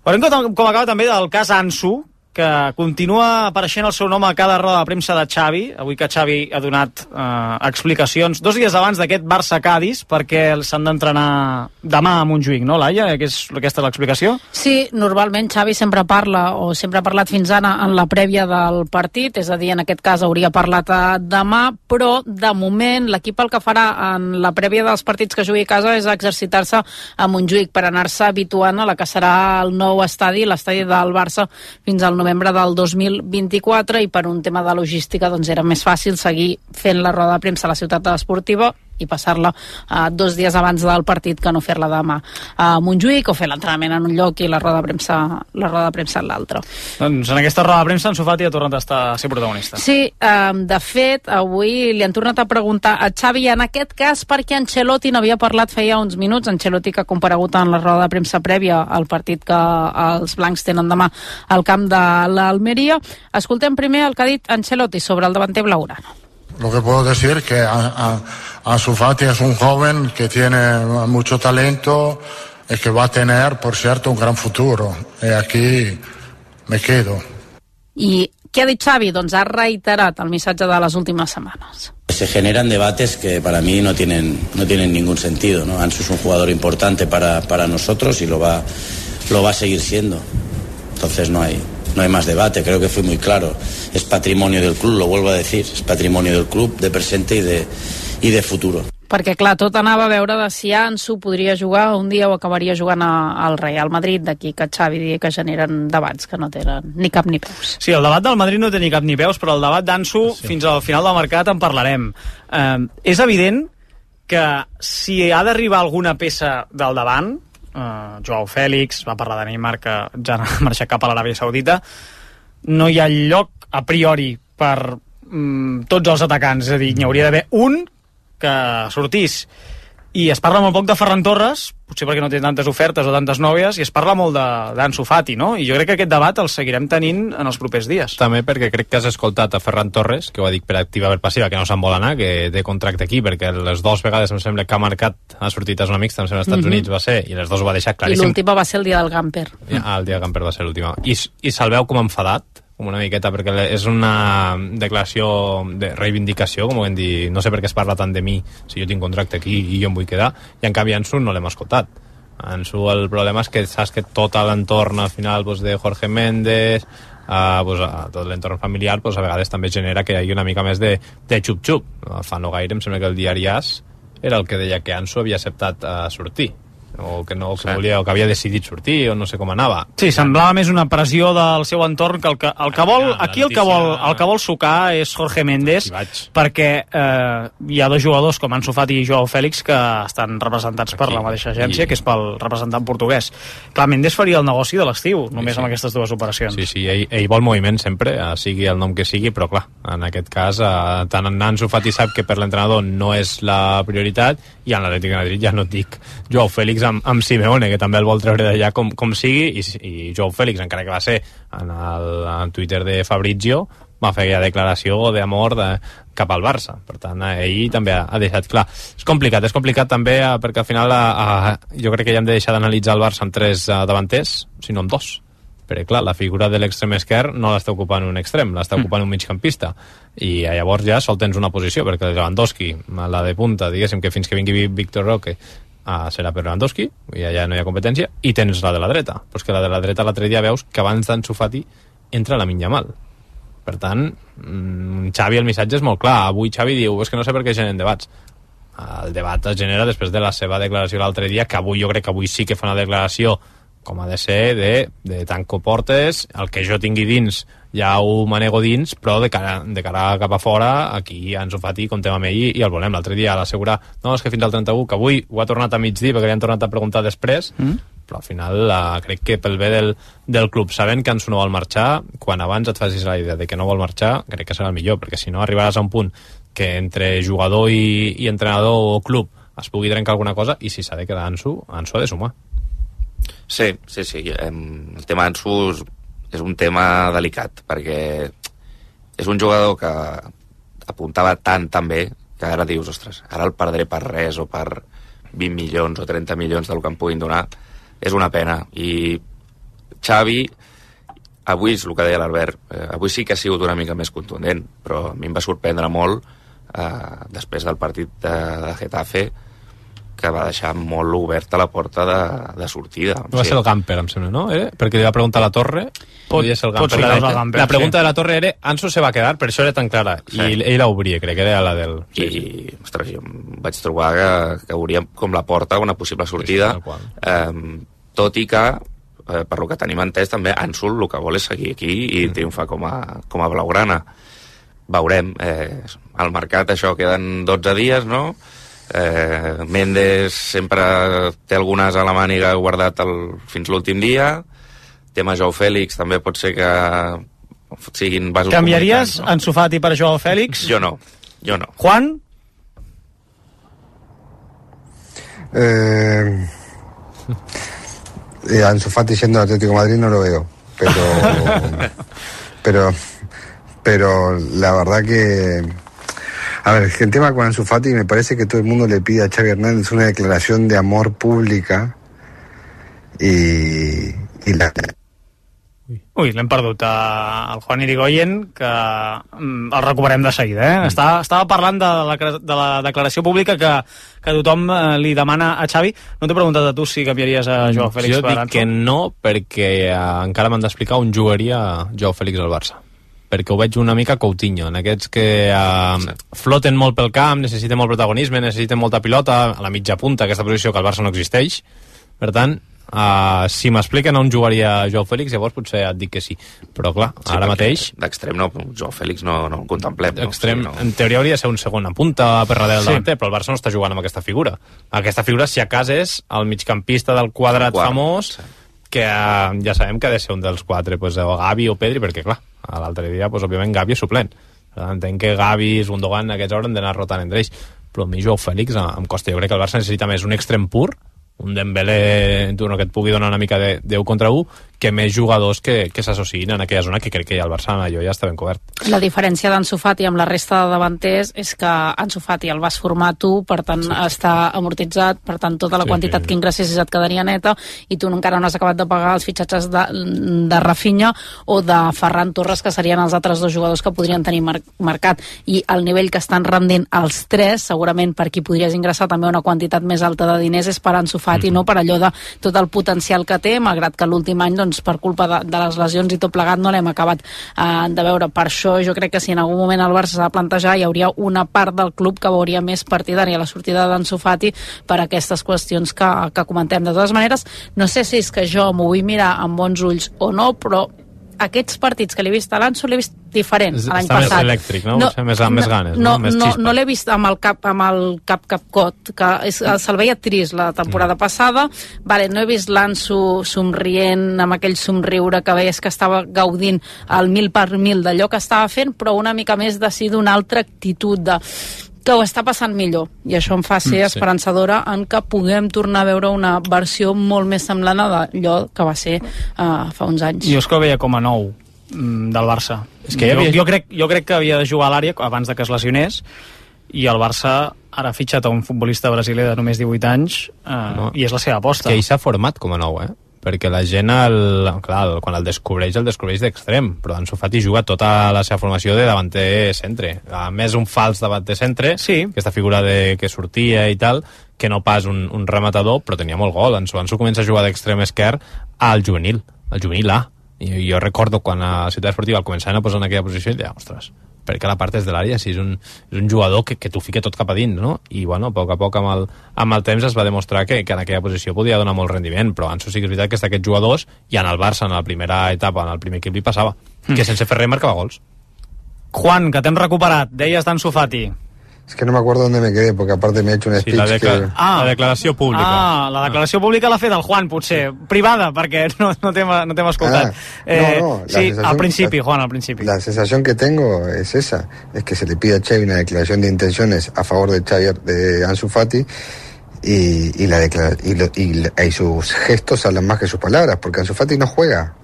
Veurem com, com acaba també del cas Ansu, que continua apareixent el seu nom a cada roda de premsa de Xavi, avui que Xavi ha donat eh, explicacions dos dies abans d'aquest Barça-Cadis, perquè s'han d'entrenar demà a Montjuïc, no, Laia? Que és, aquesta és l'explicació? Sí, normalment Xavi sempre parla, o sempre ha parlat fins ara en la prèvia del partit, és a dir, en aquest cas hauria parlat a demà, però de moment l'equip el que farà en la prèvia dels partits que jugui a casa és exercitar-se a Montjuïc per anar-se habituant a la que serà el nou estadi, l'estadi del Barça, fins al novembre del dos mil vint-i-quatre, i per un tema de logística doncs era més fàcil seguir fent la roda de premsa a la ciutat esportiva i passar-la uh, dos dies abans del partit que no fer-la demà a Montjuïc, o fer l'entrenament en un lloc i la roda de premsa, la roda de premsa en l'altre. Doncs en aquesta roda de premsa Ansu Fati ha tornat a estar a ser protagonista. Sí, um, de fet avui li han tornat a preguntar a Xavi, en aquest cas perquè Ancelotti n'havia parlat feia uns minuts, Ancelotti que ha comparegut en la roda de premsa prèvia al partit que els blancs tenen demà al camp de l'Almeria. Escoltem primer el que ha dit Ancelotti sobre el davanter blaugrana. Lo que puedo decir es que a, a, Ansu Fati es un joven que tiene mucho talento y que va a tener, por cierto, un gran futuro. Y aquí me quedo. I què ha dit Xavi? Doncs ha reiterat el missatge de les últimes setmanes. Se generan debates que para mí no tienen, no tienen ningún sentido, ¿no? Ansu es un jugador importante para, para nosotros y lo va, lo va a seguir siendo. Entonces no hay... No hay más debate, creo que fui muy claro. Es patrimonio del club, lo vuelvo a decir, es patrimonio del club de presente y de, y de futuro. Perquè, clar, tot anava a veure de si Ansu podria jugar un dia o acabaria jugant a, al Real Madrid, d'aquí que Xavi digui que generen debats que no tenen ni cap ni peus. Sí, el debat del Madrid no té ni cap ni peus, però el debat d'Ansu, sí, fins al final del mercat en parlarem. Eh, és evident que si ha d'arribar alguna peça del davant, Uh, Joao Fèlix, va parlar de Neymar que ja ha marxat cap a l'Aràbia Saudita, no hi ha lloc a priori per um, tots els atacants, és a dir, n'hi hauria d'haver un que sortís, i es parla molt poc de Ferran Torres, potser perquè no té tantes ofertes o tantes nòvies, i es parla molt d'Ansu Fati, no? I jo crec que aquest debat el seguirem tenint en els propers dies. També perquè crec que has escoltat a Ferran Torres, que ho ha dit per activa per passiva, que no se'n vol anar, que té contracte aquí, perquè les dues vegades em sembla que ha marcat, ha sortit a zona mixta, em sembla als Estats mm-hmm. Units va ser, i les dues ho va deixar claríssim. I l'última va ser el dia del Gamper. Ah, el dia del Gamper va ser l'última. I, i se'l veu com enfadat, com una miqueta, perquè és una declaració de reivindicació, com ho hem dit, no sé per què es parla tant de mi si jo tinc contracte aquí i jo em vull quedar, i en canvi Ansu no l'hem escoltat. Ansu, el problema és que saps que tot l'entorn al final pues, de Jorge Méndez, uh, pues, uh, tot l'entorn familiar pues, a vegades també genera que hi hagi una mica més de, de xup-xup. Fa no gaire em sembla que el diari As era el que deia que Ansu havia acceptat uh, sortir. o que, no, que, sí. volia, o que havia decidit sortir, o no sé com anava. Sí, semblava més una pressió del seu entorn que el que, el que vol, aquí el que vol, el que vol sucar és Jorge Méndez, perquè eh, hi ha dos jugadors com Ansu Fati i Joao Fèlix que estan representats aquí, per la mateixa agència, i... que és pel representant portuguès. Clar, Méndez faria el negoci de l'estiu, només sí, sí. amb aquestes dues operacions. Sí, sí, ell, ell vol moviment sempre, sigui el nom que sigui, però clar, en aquest cas, eh, tant en Ansu Fati sap que per l'entrenador no és la prioritat, i en l'Atlètic de Madrid ja no et dic Joao Fèlix amb, amb Simeone, que també el vol treure d'allà com, com sigui, i, i Joao Fèlix, encara que va ser en el en Twitter de Fabrizio, va fer aquella declaració d'amor de, cap al Barça. Per tant, ell també ha, ha deixat clar. És complicat, és complicat també eh, perquè al final a, a, jo crec que ja hem de deixar d'analitzar el Barça amb tres eh, davanters, sinó amb dos. Perquè, clar, la figura de l'extrem esquerre no l'està ocupant un extrem, l'està ocupant mm. un migcampista. I llavors ja sol tens una posició, perquè el Lewandowski, la de punta, diguéssim que fins que vingui Víctor Roque, ah, serà per Lewandowski, i allà no hi ha competència, i tens la de la dreta. Però és que la de la dreta l'altre dia veus que abans d'Ansu Fati entra la Yamal. Per tant, mmm, Xavi, el missatge és molt clar. Avui Xavi diu, és que no sé per què generen debats. El debat es genera després de la seva declaració l'altre dia, que avui jo crec que avui sí que fa una declaració com ha de ser, de, de tanco portes, el que jo tingui dins ja ho manego dins, però de cara, de cara cap a fora, aquí Ansu Fati comptem amb ell i, i el volem. L'altre dia a l'assegurar, no, és que fins al trenta-u, que avui ho ha tornat a migdir perquè li han tornat a preguntar després, mm. però al final la, crec que pel bé del, del club, sabent que Ansu no vol marxar, quan abans et facis la idea de que no vol marxar, crec que serà el millor, perquè si no arribaràs a un punt que entre jugador i, i entrenador o club es pugui trencar alguna cosa, i si s'ha de quedar Ansu, Ansu ha de sumar. Sí, sí, sí. El tema Ansu és un tema delicat, perquè és un jugador que apuntava tan, tan bé, que ara dius, ostres, ara el perdré per res, o per vint milions o trenta milions del que em puguin donar. És una pena. I Xavi, avui és el que deia l'Albert, eh, avui sí que ha sigut una mica més contundent, però a mi em va sorprendre molt, eh, després del partit de, de Getafe, que va deixar molt oberta la porta de, de sortida. Va ser el Gamper, em sembla, no? Eh? Perquè li va preguntar a la Torre. Podia ser el Gamper. La, la, Gamper, la pregunta sí. de la Torre era Ansu se va quedar, per això era tan clara. Sí. I ell la obria, crec que era la del... I, sí. ostres, jo vaig trobar que, que hauria com la porta una possible sortida, sí, sí, eh, tot i que, eh, per lo que tenim entès, també Ansu el que vol és seguir aquí i mm. triomfar com a, com a blaugrana. Veurem. Eh, al mercat això queden dotze dies, no? Eh, Méndez sempre té algunes a la màniga guardat el, fins l'últim dia. Tema Joao Fèlix també pot ser que siguin vasos. Canviaries no? Ansu Fati per Joao Fèlix? Jo no, jo no. Juan? Eh, eh, Ansu Fati siendo Atlético de Madrid no lo veo, pero pero pero la verdad que a ver, el tema con Ansu Fati, me parece que todo el mundo le pide a Xavi Hernández una declaración de amor pública y, y la... Ui, l'hem perdut al Juan Irigoyen, que el recuperem de seguida. Eh? Mm. Estava, estava parlant de la, de la declaració pública que, que tothom li demana a Xavi. No t'he preguntat a tu si canviaries a Joao Fèlix per Ansu? Jo dic que no, perquè eh, encara m'han d'explicar on jugaria Joao Fèlix al Barça. Perquè ho veig una mica Coutinho, en aquests que eh, floten molt pel camp, necessiten molt protagonisme, necessiten molta pilota, a la mitja punta, aquesta posició que al Barça no existeix. Per tant, eh, si m'expliquen on jugaria Joao Fèlix, llavors potser et dic que sí. Però clar, sí, ara mateix... D'extrem no, Joao Fèlix no, no el contemplem. D'extrem, no? Sí, no. En teoria hauria de ser un segon en punta per darrere del sí. davanter, però el Barça no està jugant amb aquesta figura. Aquesta figura, si a casa, és el migcampista del quadrat Quart, famós, sí. que eh, ja sabem que ha de ser un dels quatre, pues, o Gavi o Pedri, perquè clar, l'altre dia, pues, òbviament, Gavi és suplent. Entenc que Gavi, Gundogan, aquests hauran d'anar rotant entre ells. Però a mi Joao Fèlix em costa. Jo crec que el Barça necessita més un extrem pur, un Dembélé que et pugui donar una mica de deu contra u, que més jugadors que, que s'associïn en aquella zona, que crec que ja el Barça allò ja està ben cobert. La diferència d'Ansu Fati amb la resta de davanters és que Ansu Fati el vas formar tu, per tant sí. està amortitzat, per tant tota la sí, quantitat sí. que ingressessis et quedaria neta, i tu encara no has acabat de pagar els fitxatges de, de Rafinha o de Ferran Torres, que serien els altres dos jugadors que podrien tenir mar marcat, i el nivell que estan rendint els tres, segurament per qui podries ingressar també una quantitat més alta de diners és per Ansu Fati, mm -hmm. no per allò de tot el potencial que té, malgrat que l'últim any doncs, doncs, per culpa de, de les lesions i tot plegat no l'hem acabat eh, de veure. Per això jo crec que si en algun moment el Barça s'ha de plantejar, hi hauria una part del club que veuria més partidària la sortida d'Ansu Fati per aquestes qüestions que, que comentem. De totes maneres, no sé si és que jo m'ho vull mirar amb bons ulls o no, però aquests partits que l'he vist a l'Ansu l'he vist diferent a l'any Està passat. més elèctric, no? no més, amb més ganes, no? No, Més no, xispa. no l'he vist amb el cap amb el cap capcot, que és, se'l veia trist la temporada mm. passada. Vale, no he vist l'Ansu somrient amb aquell somriure que veies que estava gaudint al mil per mil d'allò que estava fent, però una mica més de si d'una altra actitud de que ho està passant millor, i això em fa ser mm, sí. esperançadora en que puguem tornar a veure una versió molt més semblant a d'allò que va ser uh, fa uns anys. Jo és que ho veia com a nou mm, del Barça. És que jo, havia... jo, crec, jo crec que havia de jugar a l'àrea abans de que es lesionés, i el Barça ara ha fitxat a un futbolista brasiler de només divuit anys uh, no. i és la seva aposta. Que ell s'ha format com a nou, eh? Perquè la gent, el, clar, quan el descobreix, el descobreix d'extrem, però Ansu Fati juga tota la seva formació de davanter centre. A més, un fals davanter centre, sí. Aquesta figura de que sortia i tal, que no pas un, un rematador, però tenia molt gol. Ansu, Ansu comença a jugar d'extrem esquerre al juvenil, al juvenil A. I jo recordo quan a Ciutat Esportiva el començaven a posar en aquella posició i deia, ostres, perquè la part és de l'àrea, si és un, és un jugador que, que t'ho fica tot cap a dins, no? I, bueno, a poc a poc amb el, amb el temps es va demostrar que, que en aquella posició podia donar molt rendiment, però Ansu sí que és veritat que és d'aquests jugadors, i en el Barça, en la primera etapa, en el primer equip li passava, mm. que sense fer res marcava gols. Juan, que t'hem recuperat, deies d'Ansu Fati. Es que no me acuerdo dónde me quedé, porque aparte me he hecho un speech sí, la, decla que... ah, la declaració pública. Ah, la declaració pública l'ha fet el Juan, potser. Privada, perquè no, no t'hem no escoltat. Ah, eh, no, no, sí, al principi, la, Juan, al principi. La sensación que tengo es esa, es que se le pide a Xavi una declaración de intenciones a favor de Xavi, de Ansu Fati, y, y, la declara y, lo, y, y sus gestos hablan más que sus palabras, porque Ansu Fati no juega.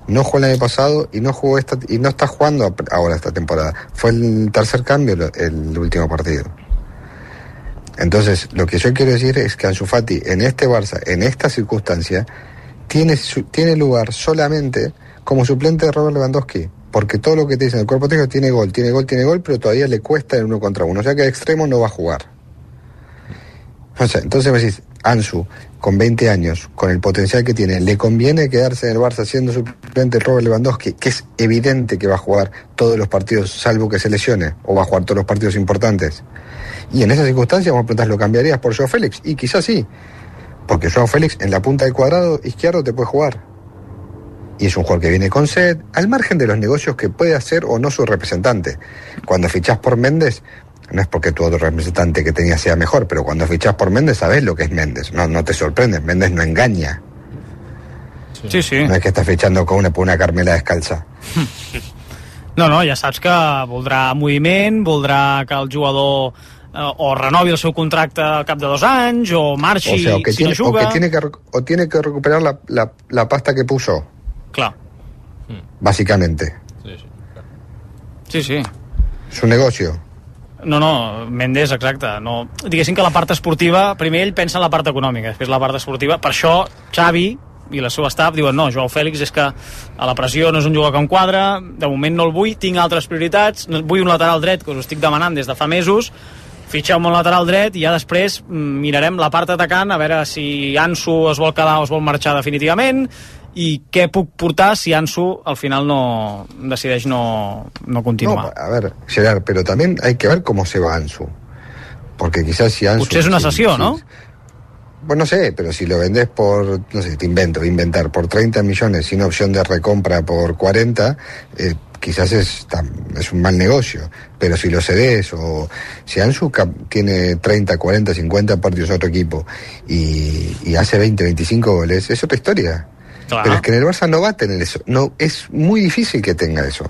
No jugó el año pasado y no jugó esta, y no está jugando ahora esta temporada. Fue el tercer cambio el último partido. Entonces, lo que yo quiero decir es que Ansu Fati en este Barça, en esta circunstancia, tiene, su, tiene lugar solamente como suplente de Robert Lewandowski, porque todo lo que te dicen el cuerpo técnico tiene gol, tiene gol, tiene gol, pero todavía le cuesta en uno contra uno, o sea que de extremo no va a jugar. O sea, entonces me decís, Ansu, con veinte años, con el potencial que tiene, ¿le conviene quedarse en el Barça siendo suplente Robert Lewandowski, que es evidente que va a jugar todos los partidos, salvo que se lesione, o va a jugar todos los partidos importantes? Y en esas circunstancias, vos me preguntás, ¿lo cambiarías por Joao Félix? Y quizás sí, porque Joao Félix en la punta del cuadrado izquierdo te puede jugar. Y es un jugador que viene con sed, al margen de los negocios que puede hacer o no su representante. Cuando fichás por Méndez, no es porque tu otro representante que tenías sea mejor, pero cuando fichás por Méndez sabés lo que es Méndez, no, no te sorprendes, Méndez no engaña. Sí, sí. No es que estás fichando con una, por una Carmela descalza. No, no, ja saps que voldrà moviment, voldrà que el jugador eh, o renovi el seu contracte al cap de dos anys, o marxi, o sea, o que si tiene, no juga... O, que tiene que, o tiene que recuperar la, la, la pasta que puso. Clar. Básicamente. Sí, sí. Sí, sí. Su negocio. No, no, Méndez, exacte. No, diguéssim que la part esportiva, primer ell pensa en la part econòmica, després la part esportiva. Per això Xavi i la seva staff diuen no, Joao Félix és que a la pressió no és un jugador que em quadra, de moment no el vull, tinc altres prioritats, vull un lateral dret que us ho estic demanant des de fa mesos, fitxeu-me un lateral dret i ja després mirarem la part atacant a veure si Ansu es vol quedar o es vol marxar definitivament i què puc portar si Ansu al final no decideix no, no continuar. No, a ver, Gerard, pero también hay que ver cómo se va Ansu, porque quizás si Ansu... Potser és una sessió, si, no? Si, Pues no sé, pero si lo vendés por, no sé, te invento, inventar, por treinta millones sin opción de recompra por cuarenta, eh, quizás es, es un mal negocio. Pero si lo cedés o si Ansu tiene treinta, cuarenta, cincuenta partidos a otro equipo y, y hace veinte, veinticinco goles, es otra historia. Claro. Pero es que en el Barça no va a tener eso. No, es muy difícil que tenga eso.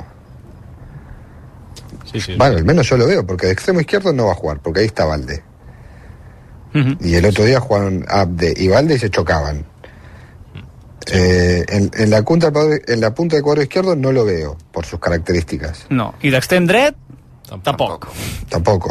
Sí, sí, bueno, sí. Al menos yo lo veo, porque de extremo izquierdo no va a jugar, porque ahí está Valde. Uh-huh. Y el otro día jugaron Abde y Valde y se chocaban. Sí. Eh, en, en, la punta, en la punta del cuadro izquierdo no lo veo, por sus características. No, i d'extrem dret, tampoc. Tampoc.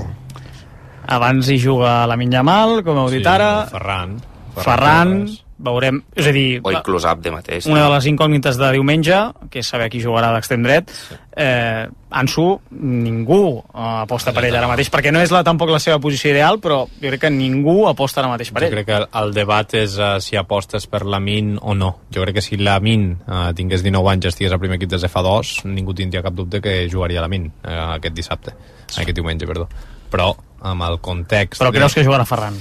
Abans hi juga Lamine Yamal, com heu dit sí, ara. Ferran. Ferran, veurem, és a dir... O inclús Abde mateix. Una de les incògnites de diumenge, que és saber qui jugarà d'extrem dret, eh, Ansu, ningú eh, aposta per ell ara mateix, perquè no és la, tampoc la seva posició ideal, però jo crec que ningú aposta ara mateix per ell. Jo crec que el debat és uh, si apostes per Lamine o no. Jo crec que si Lamine uh, tingués dinou anys i estigués al primer equip des de fa dos, ningú tindria cap dubte que jugaria Lamine uh, aquest dissabte, aquest diumenge, perdó. Però amb el context... Però creus de... que jugarà Ferran?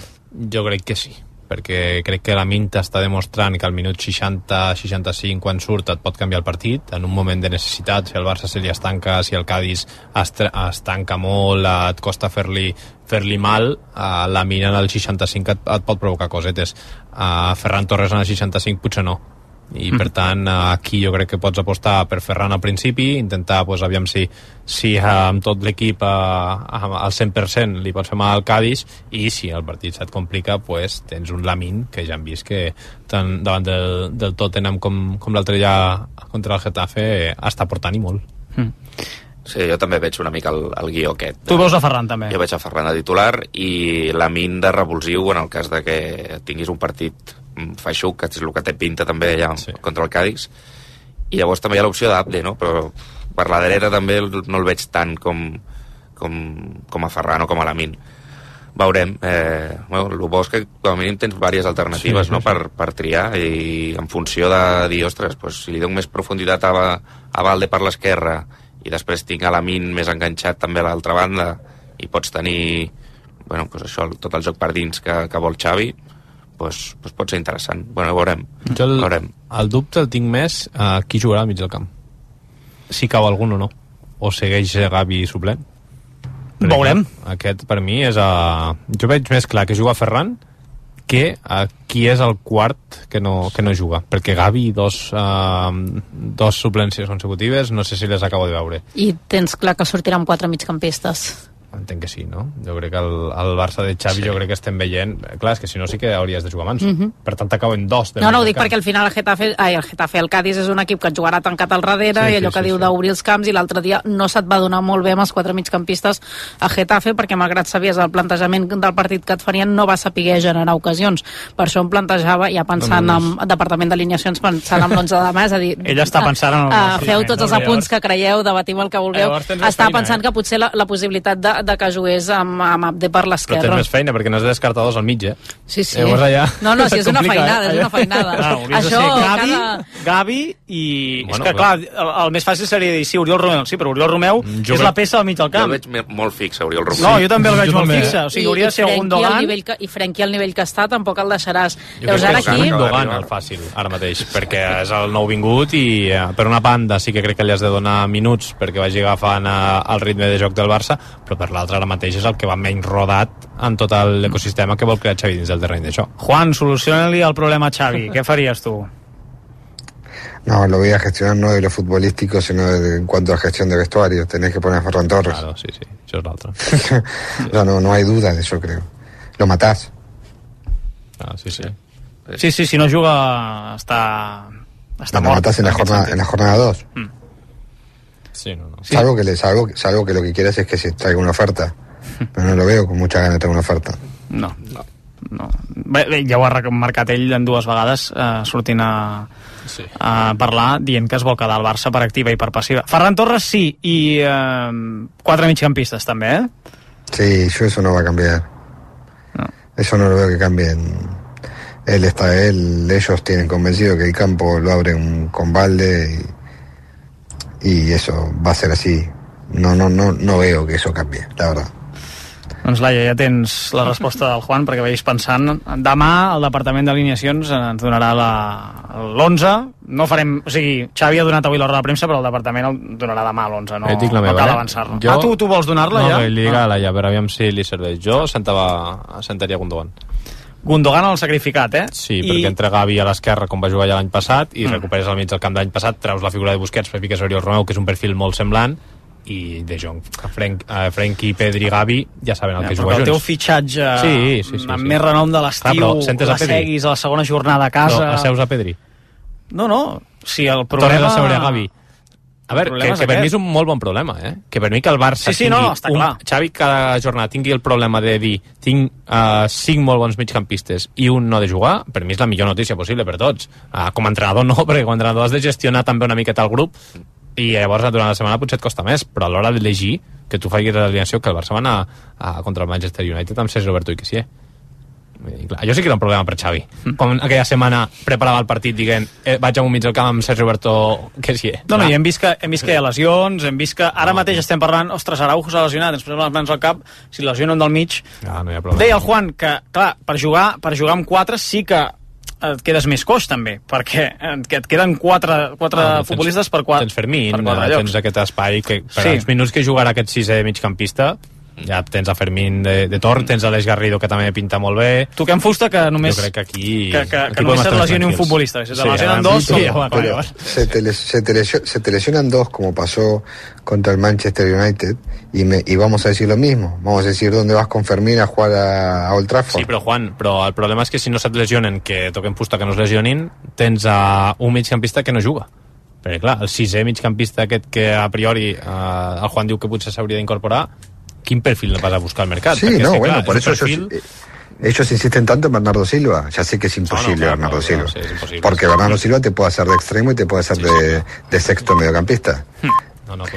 Jo crec que sí, perquè crec que la Minta està demostrant que al minut seixanta seixanta-cinc, quan surt, et pot canviar el partit en un moment de necessitat. Si el Barça se li estanca, si el Cádiz es, es tanca molt, et costa fer-li fer-li mal, uh, la Mina en el seixanta-cinc et, et pot provocar cosetes. Uh, Ferran Torres en el seixanta-cinc potser no, i per tant aquí jo crec que pots apostar per Ferran al principi, intentar, pues, aviam si, si amb tot l'equip uh, al cent per cent li pots fer mal al Cádiz, i si el partit se't complica, pues, tens un Lamine que ja hem vist que tant davant del, del Tottenham com, com l'altre ja contra el Getafe està portant i molt. mm. Sí, jo també veig una mica el, el guió aquest. Tu veus a Ferran també? Jo veig a Ferran de titular i Lamine de revulsiu en el cas de que tinguis un partit feixuc, que és el que té pinta també allà sí. contra el Cádiz, i llavors també hi ha l'opció d'Abde, no? Però per la dreta també no el veig tant com, com, com a Ferran o com a Lamine. Veurem. Eh, bueno, el bo és que com a mínim tens diverses alternatives, sí, sí, no? Sí. Per, per triar, i en funció de dir, ostres, pues, si li dono més profunditat a, a Valde per l'esquerra i després tinc a Lamine més enganxat també a l'altra banda, i pots tenir, bueno, pues això, tot el joc per dins que, que vol Xavi, pues, pues pot ser interessant. Bueno, veurem. Jo el, veurem. el dubte el tinc més a uh, qui jugarà al mig del camp. Si cau algun o no. O segueix Gavi suplent. Veurem. Aquest, per mi, és a... Jo veig més clar que juga Ferran que a qui és el quart que no, que no juga. Perquè Gavi, dos, uh, dos suplències consecutives, no sé si les acabo de veure. I tens clar que sortiran quatre migcampistes. Entenc que sí, no? Jo crec que el, el Barça de Xavi, sí. Jo crec que estem veient... Clar, és que si no sí que hauries de jugar abans. Mm-hmm. Per tant, t'acaben dos. No, no, ho dic perquè al final el Getafe, ai, el Getafe, el Cádiz és un equip que et jugarà tancat al darrere, sí, i allò sí, que sí, diu sí. d'obrir els camps, i l'altre dia no se't va donar molt bé amb els quatre migcampistes a Getafe, perquè malgrat sabies el plantejament del partit que et farien, no va saber generar ocasions. Per això em plantejava, ja pensant no, no, no. en departament d'alineacions, pensant en l'onze de mà, és a dir... Ell està pensant en el... Uh, feu tots els apunts que creieu, debatim el que vulgueu. Està pensant eh? que potser la, la possibilitat de, de que jugués amb, amb Abde per l'esquerra. Però tens més feina, perquè n'has de descartar dos al mig, eh? Sí, sí. Llavors allà... No, no, si és una feinada, és una feinada. Ah, això, Gavi, cada... Gavi i... Bueno, és que, clar, el, el més fàcil seria dir, sí, Oriol Romeu, sí, però Oriol Romeu jo és ve... la peça al mig del camp. Jo el veig molt fixe, Oriol Romeu. No, jo també el veig jo molt també. fixe. O sigui, hauria de ser un Dogan. Que, I Frenkie al nivell que està, tampoc el deixaràs. Jo Llavors, ara aquí... un Dogan el fàcil, ara mateix, perquè és el nou vingut i eh, per una banda sí que crec que li has de donar minuts perquè vagi agafant eh, el ritme de joc del Barça, però per l'altra ara mateix és el que va menys rodat en tot l'ecosistema que vol crear Xavi dins del terreny d'això. Juan, soluciona-li el problema a Xavi. ¿Qué farías tú? No, lo voy a gestionar no de lo futbolístico, sino de, en cuanto a gestión de vestuario. Tenés que poner a Ferran Torres. Claro, sí, sí, eso es la otra. no, no, no hay duda de eso, creo. Lo matás. Ah, sí, sí. Sí, sí, si no juga està... està no, mort. Lo matás en la jornada, en la jornada dos. Mm. Sí, no, no. Sí. Salvo, que le, salvo, salvo que lo que quieras es que se traiga una oferta. Però no lo veo con mucha ganas de traure una oferta. No, no. no. Bé, bé, ja ho ha remarcat ell en dues vegades, eh, sortint a, sí. a parlar, dient que es vol quedar al Barça per activa i per passiva. Ferran Torres sí, i eh, quatre migcampistes també, eh? Sí, yo eso no va a cambiar. No. Eso no lo veo que cambien. Él está, él, ellos tienen convencido que el campo lo abren con Valde y, y eso va a ser así. No, no, no, no veo que eso cambie, la verdad. Doncs Laia, ja tens la resposta del Juan perquè veies pensant. Demà el Departament d'Alineacions ens donarà l'onze. No farem... O sigui, Xavi ha donat avui l'hora de premsa, però el Departament el donarà demà a l'onze. No, eh, no cal eh? avançar-la. Jo... Ah, tu, tu vols donar-la no, ja? No, li dic a Laia, però aviam si li serveix. Jo sentava, sentaria Gundogan. Gundogan el sacrificat, eh? Sí, I... perquè entra Gavi a l'esquerra com va jugar ja l'any passat i mm. recuperes al mig del camp d'any passat, treus la figura de Busquets, per fiques Oriol Romeu, que és un perfil molt semblant, i De Jong, Frank, uh, Frenkie, Pedri, Gavi ja saben el ja, que juga junts. El teu fitxatge sí, sí, sí, amb sí. més renom de l'estiu, la seguis a la segona jornada a casa... No, asseus a Pedri. No, no, si el problema... Tornes a seure a Gavi. A veure, que, que per mi és un molt bon problema, eh? Que per mi que el Barça sí, sí, tingui... No, està un, clar. Xavi cada jornada tingui el problema de dir tinc uh, cinc molt bons migcampistes i un no de jugar, per mi és la millor notícia possible per tots. Uh, com a entrenador no, perquè com a entrenador has de gestionar també una miqueta el grup i llavors durant la setmana potser et costa més, però a l'hora d'elegir que tu facis l'alineació, que el Barça va anar a, contra el Manchester United amb Sergi Roberto i Kessié. Jo sí que era un problema per Xavi. Mm. Com aquella setmana preparava el partit dient eh, vaig a un mig del camp amb Sergi Roberto Kessié. No, no, i hem vist, que, hem vist que hi ha lesions, hem vist que ara no, mateix estem parlant, ostres, Araujo s'ha lesionat, ens posem les mans al cap, si lesionen del mig. Ja, no hi ha problema. Deia el Juan que, clar, per jugar, per jugar amb quatre sí que et quedes més coix també, perquè et queden quatre, quatre ah, futbolistes per quatre. Tens Fermín, per quatre tens aquest espai que per sí. els minuts que jugarà aquest sisè migcampista ja tens a Fermín de, de torn, tens a l'Eix Garrido que també pinta molt bé. Toquem fusta que només jo crec que aquí que, que, aquí que només se lesioni un futbolista, si se lesionan sí, dos sí, sí, com... pero se, te les, se, te lesio, se te lesionan dos como pasó contra el Manchester United y, me, y vamos a decir lo mismo, vamos a decir dónde vas con Fermín a jugar a, a Old Trafford. Sí, però Juan, però el problema és que si no se't lesionen, que toquem fusta que no es lesionin, tens a un migcampista que no juga, perquè clar, el sisè migcampista aquest que a priori eh, el Juan diu que potser s'hauria d'incorporar, ¿qué perfil vas a buscar al mercado? Sí, no, bueno, claro, por eso perfil... ellos, ellos insisten tanto en Bernardo Silva. Ya sé que es imposible, no, no, claro, Bernardo no, Silva. No, sí, es imposible, porque sí. Bernardo Silva te puede hacer de extremo y te puede hacer de, de sexto mediocampista. No, no, claro.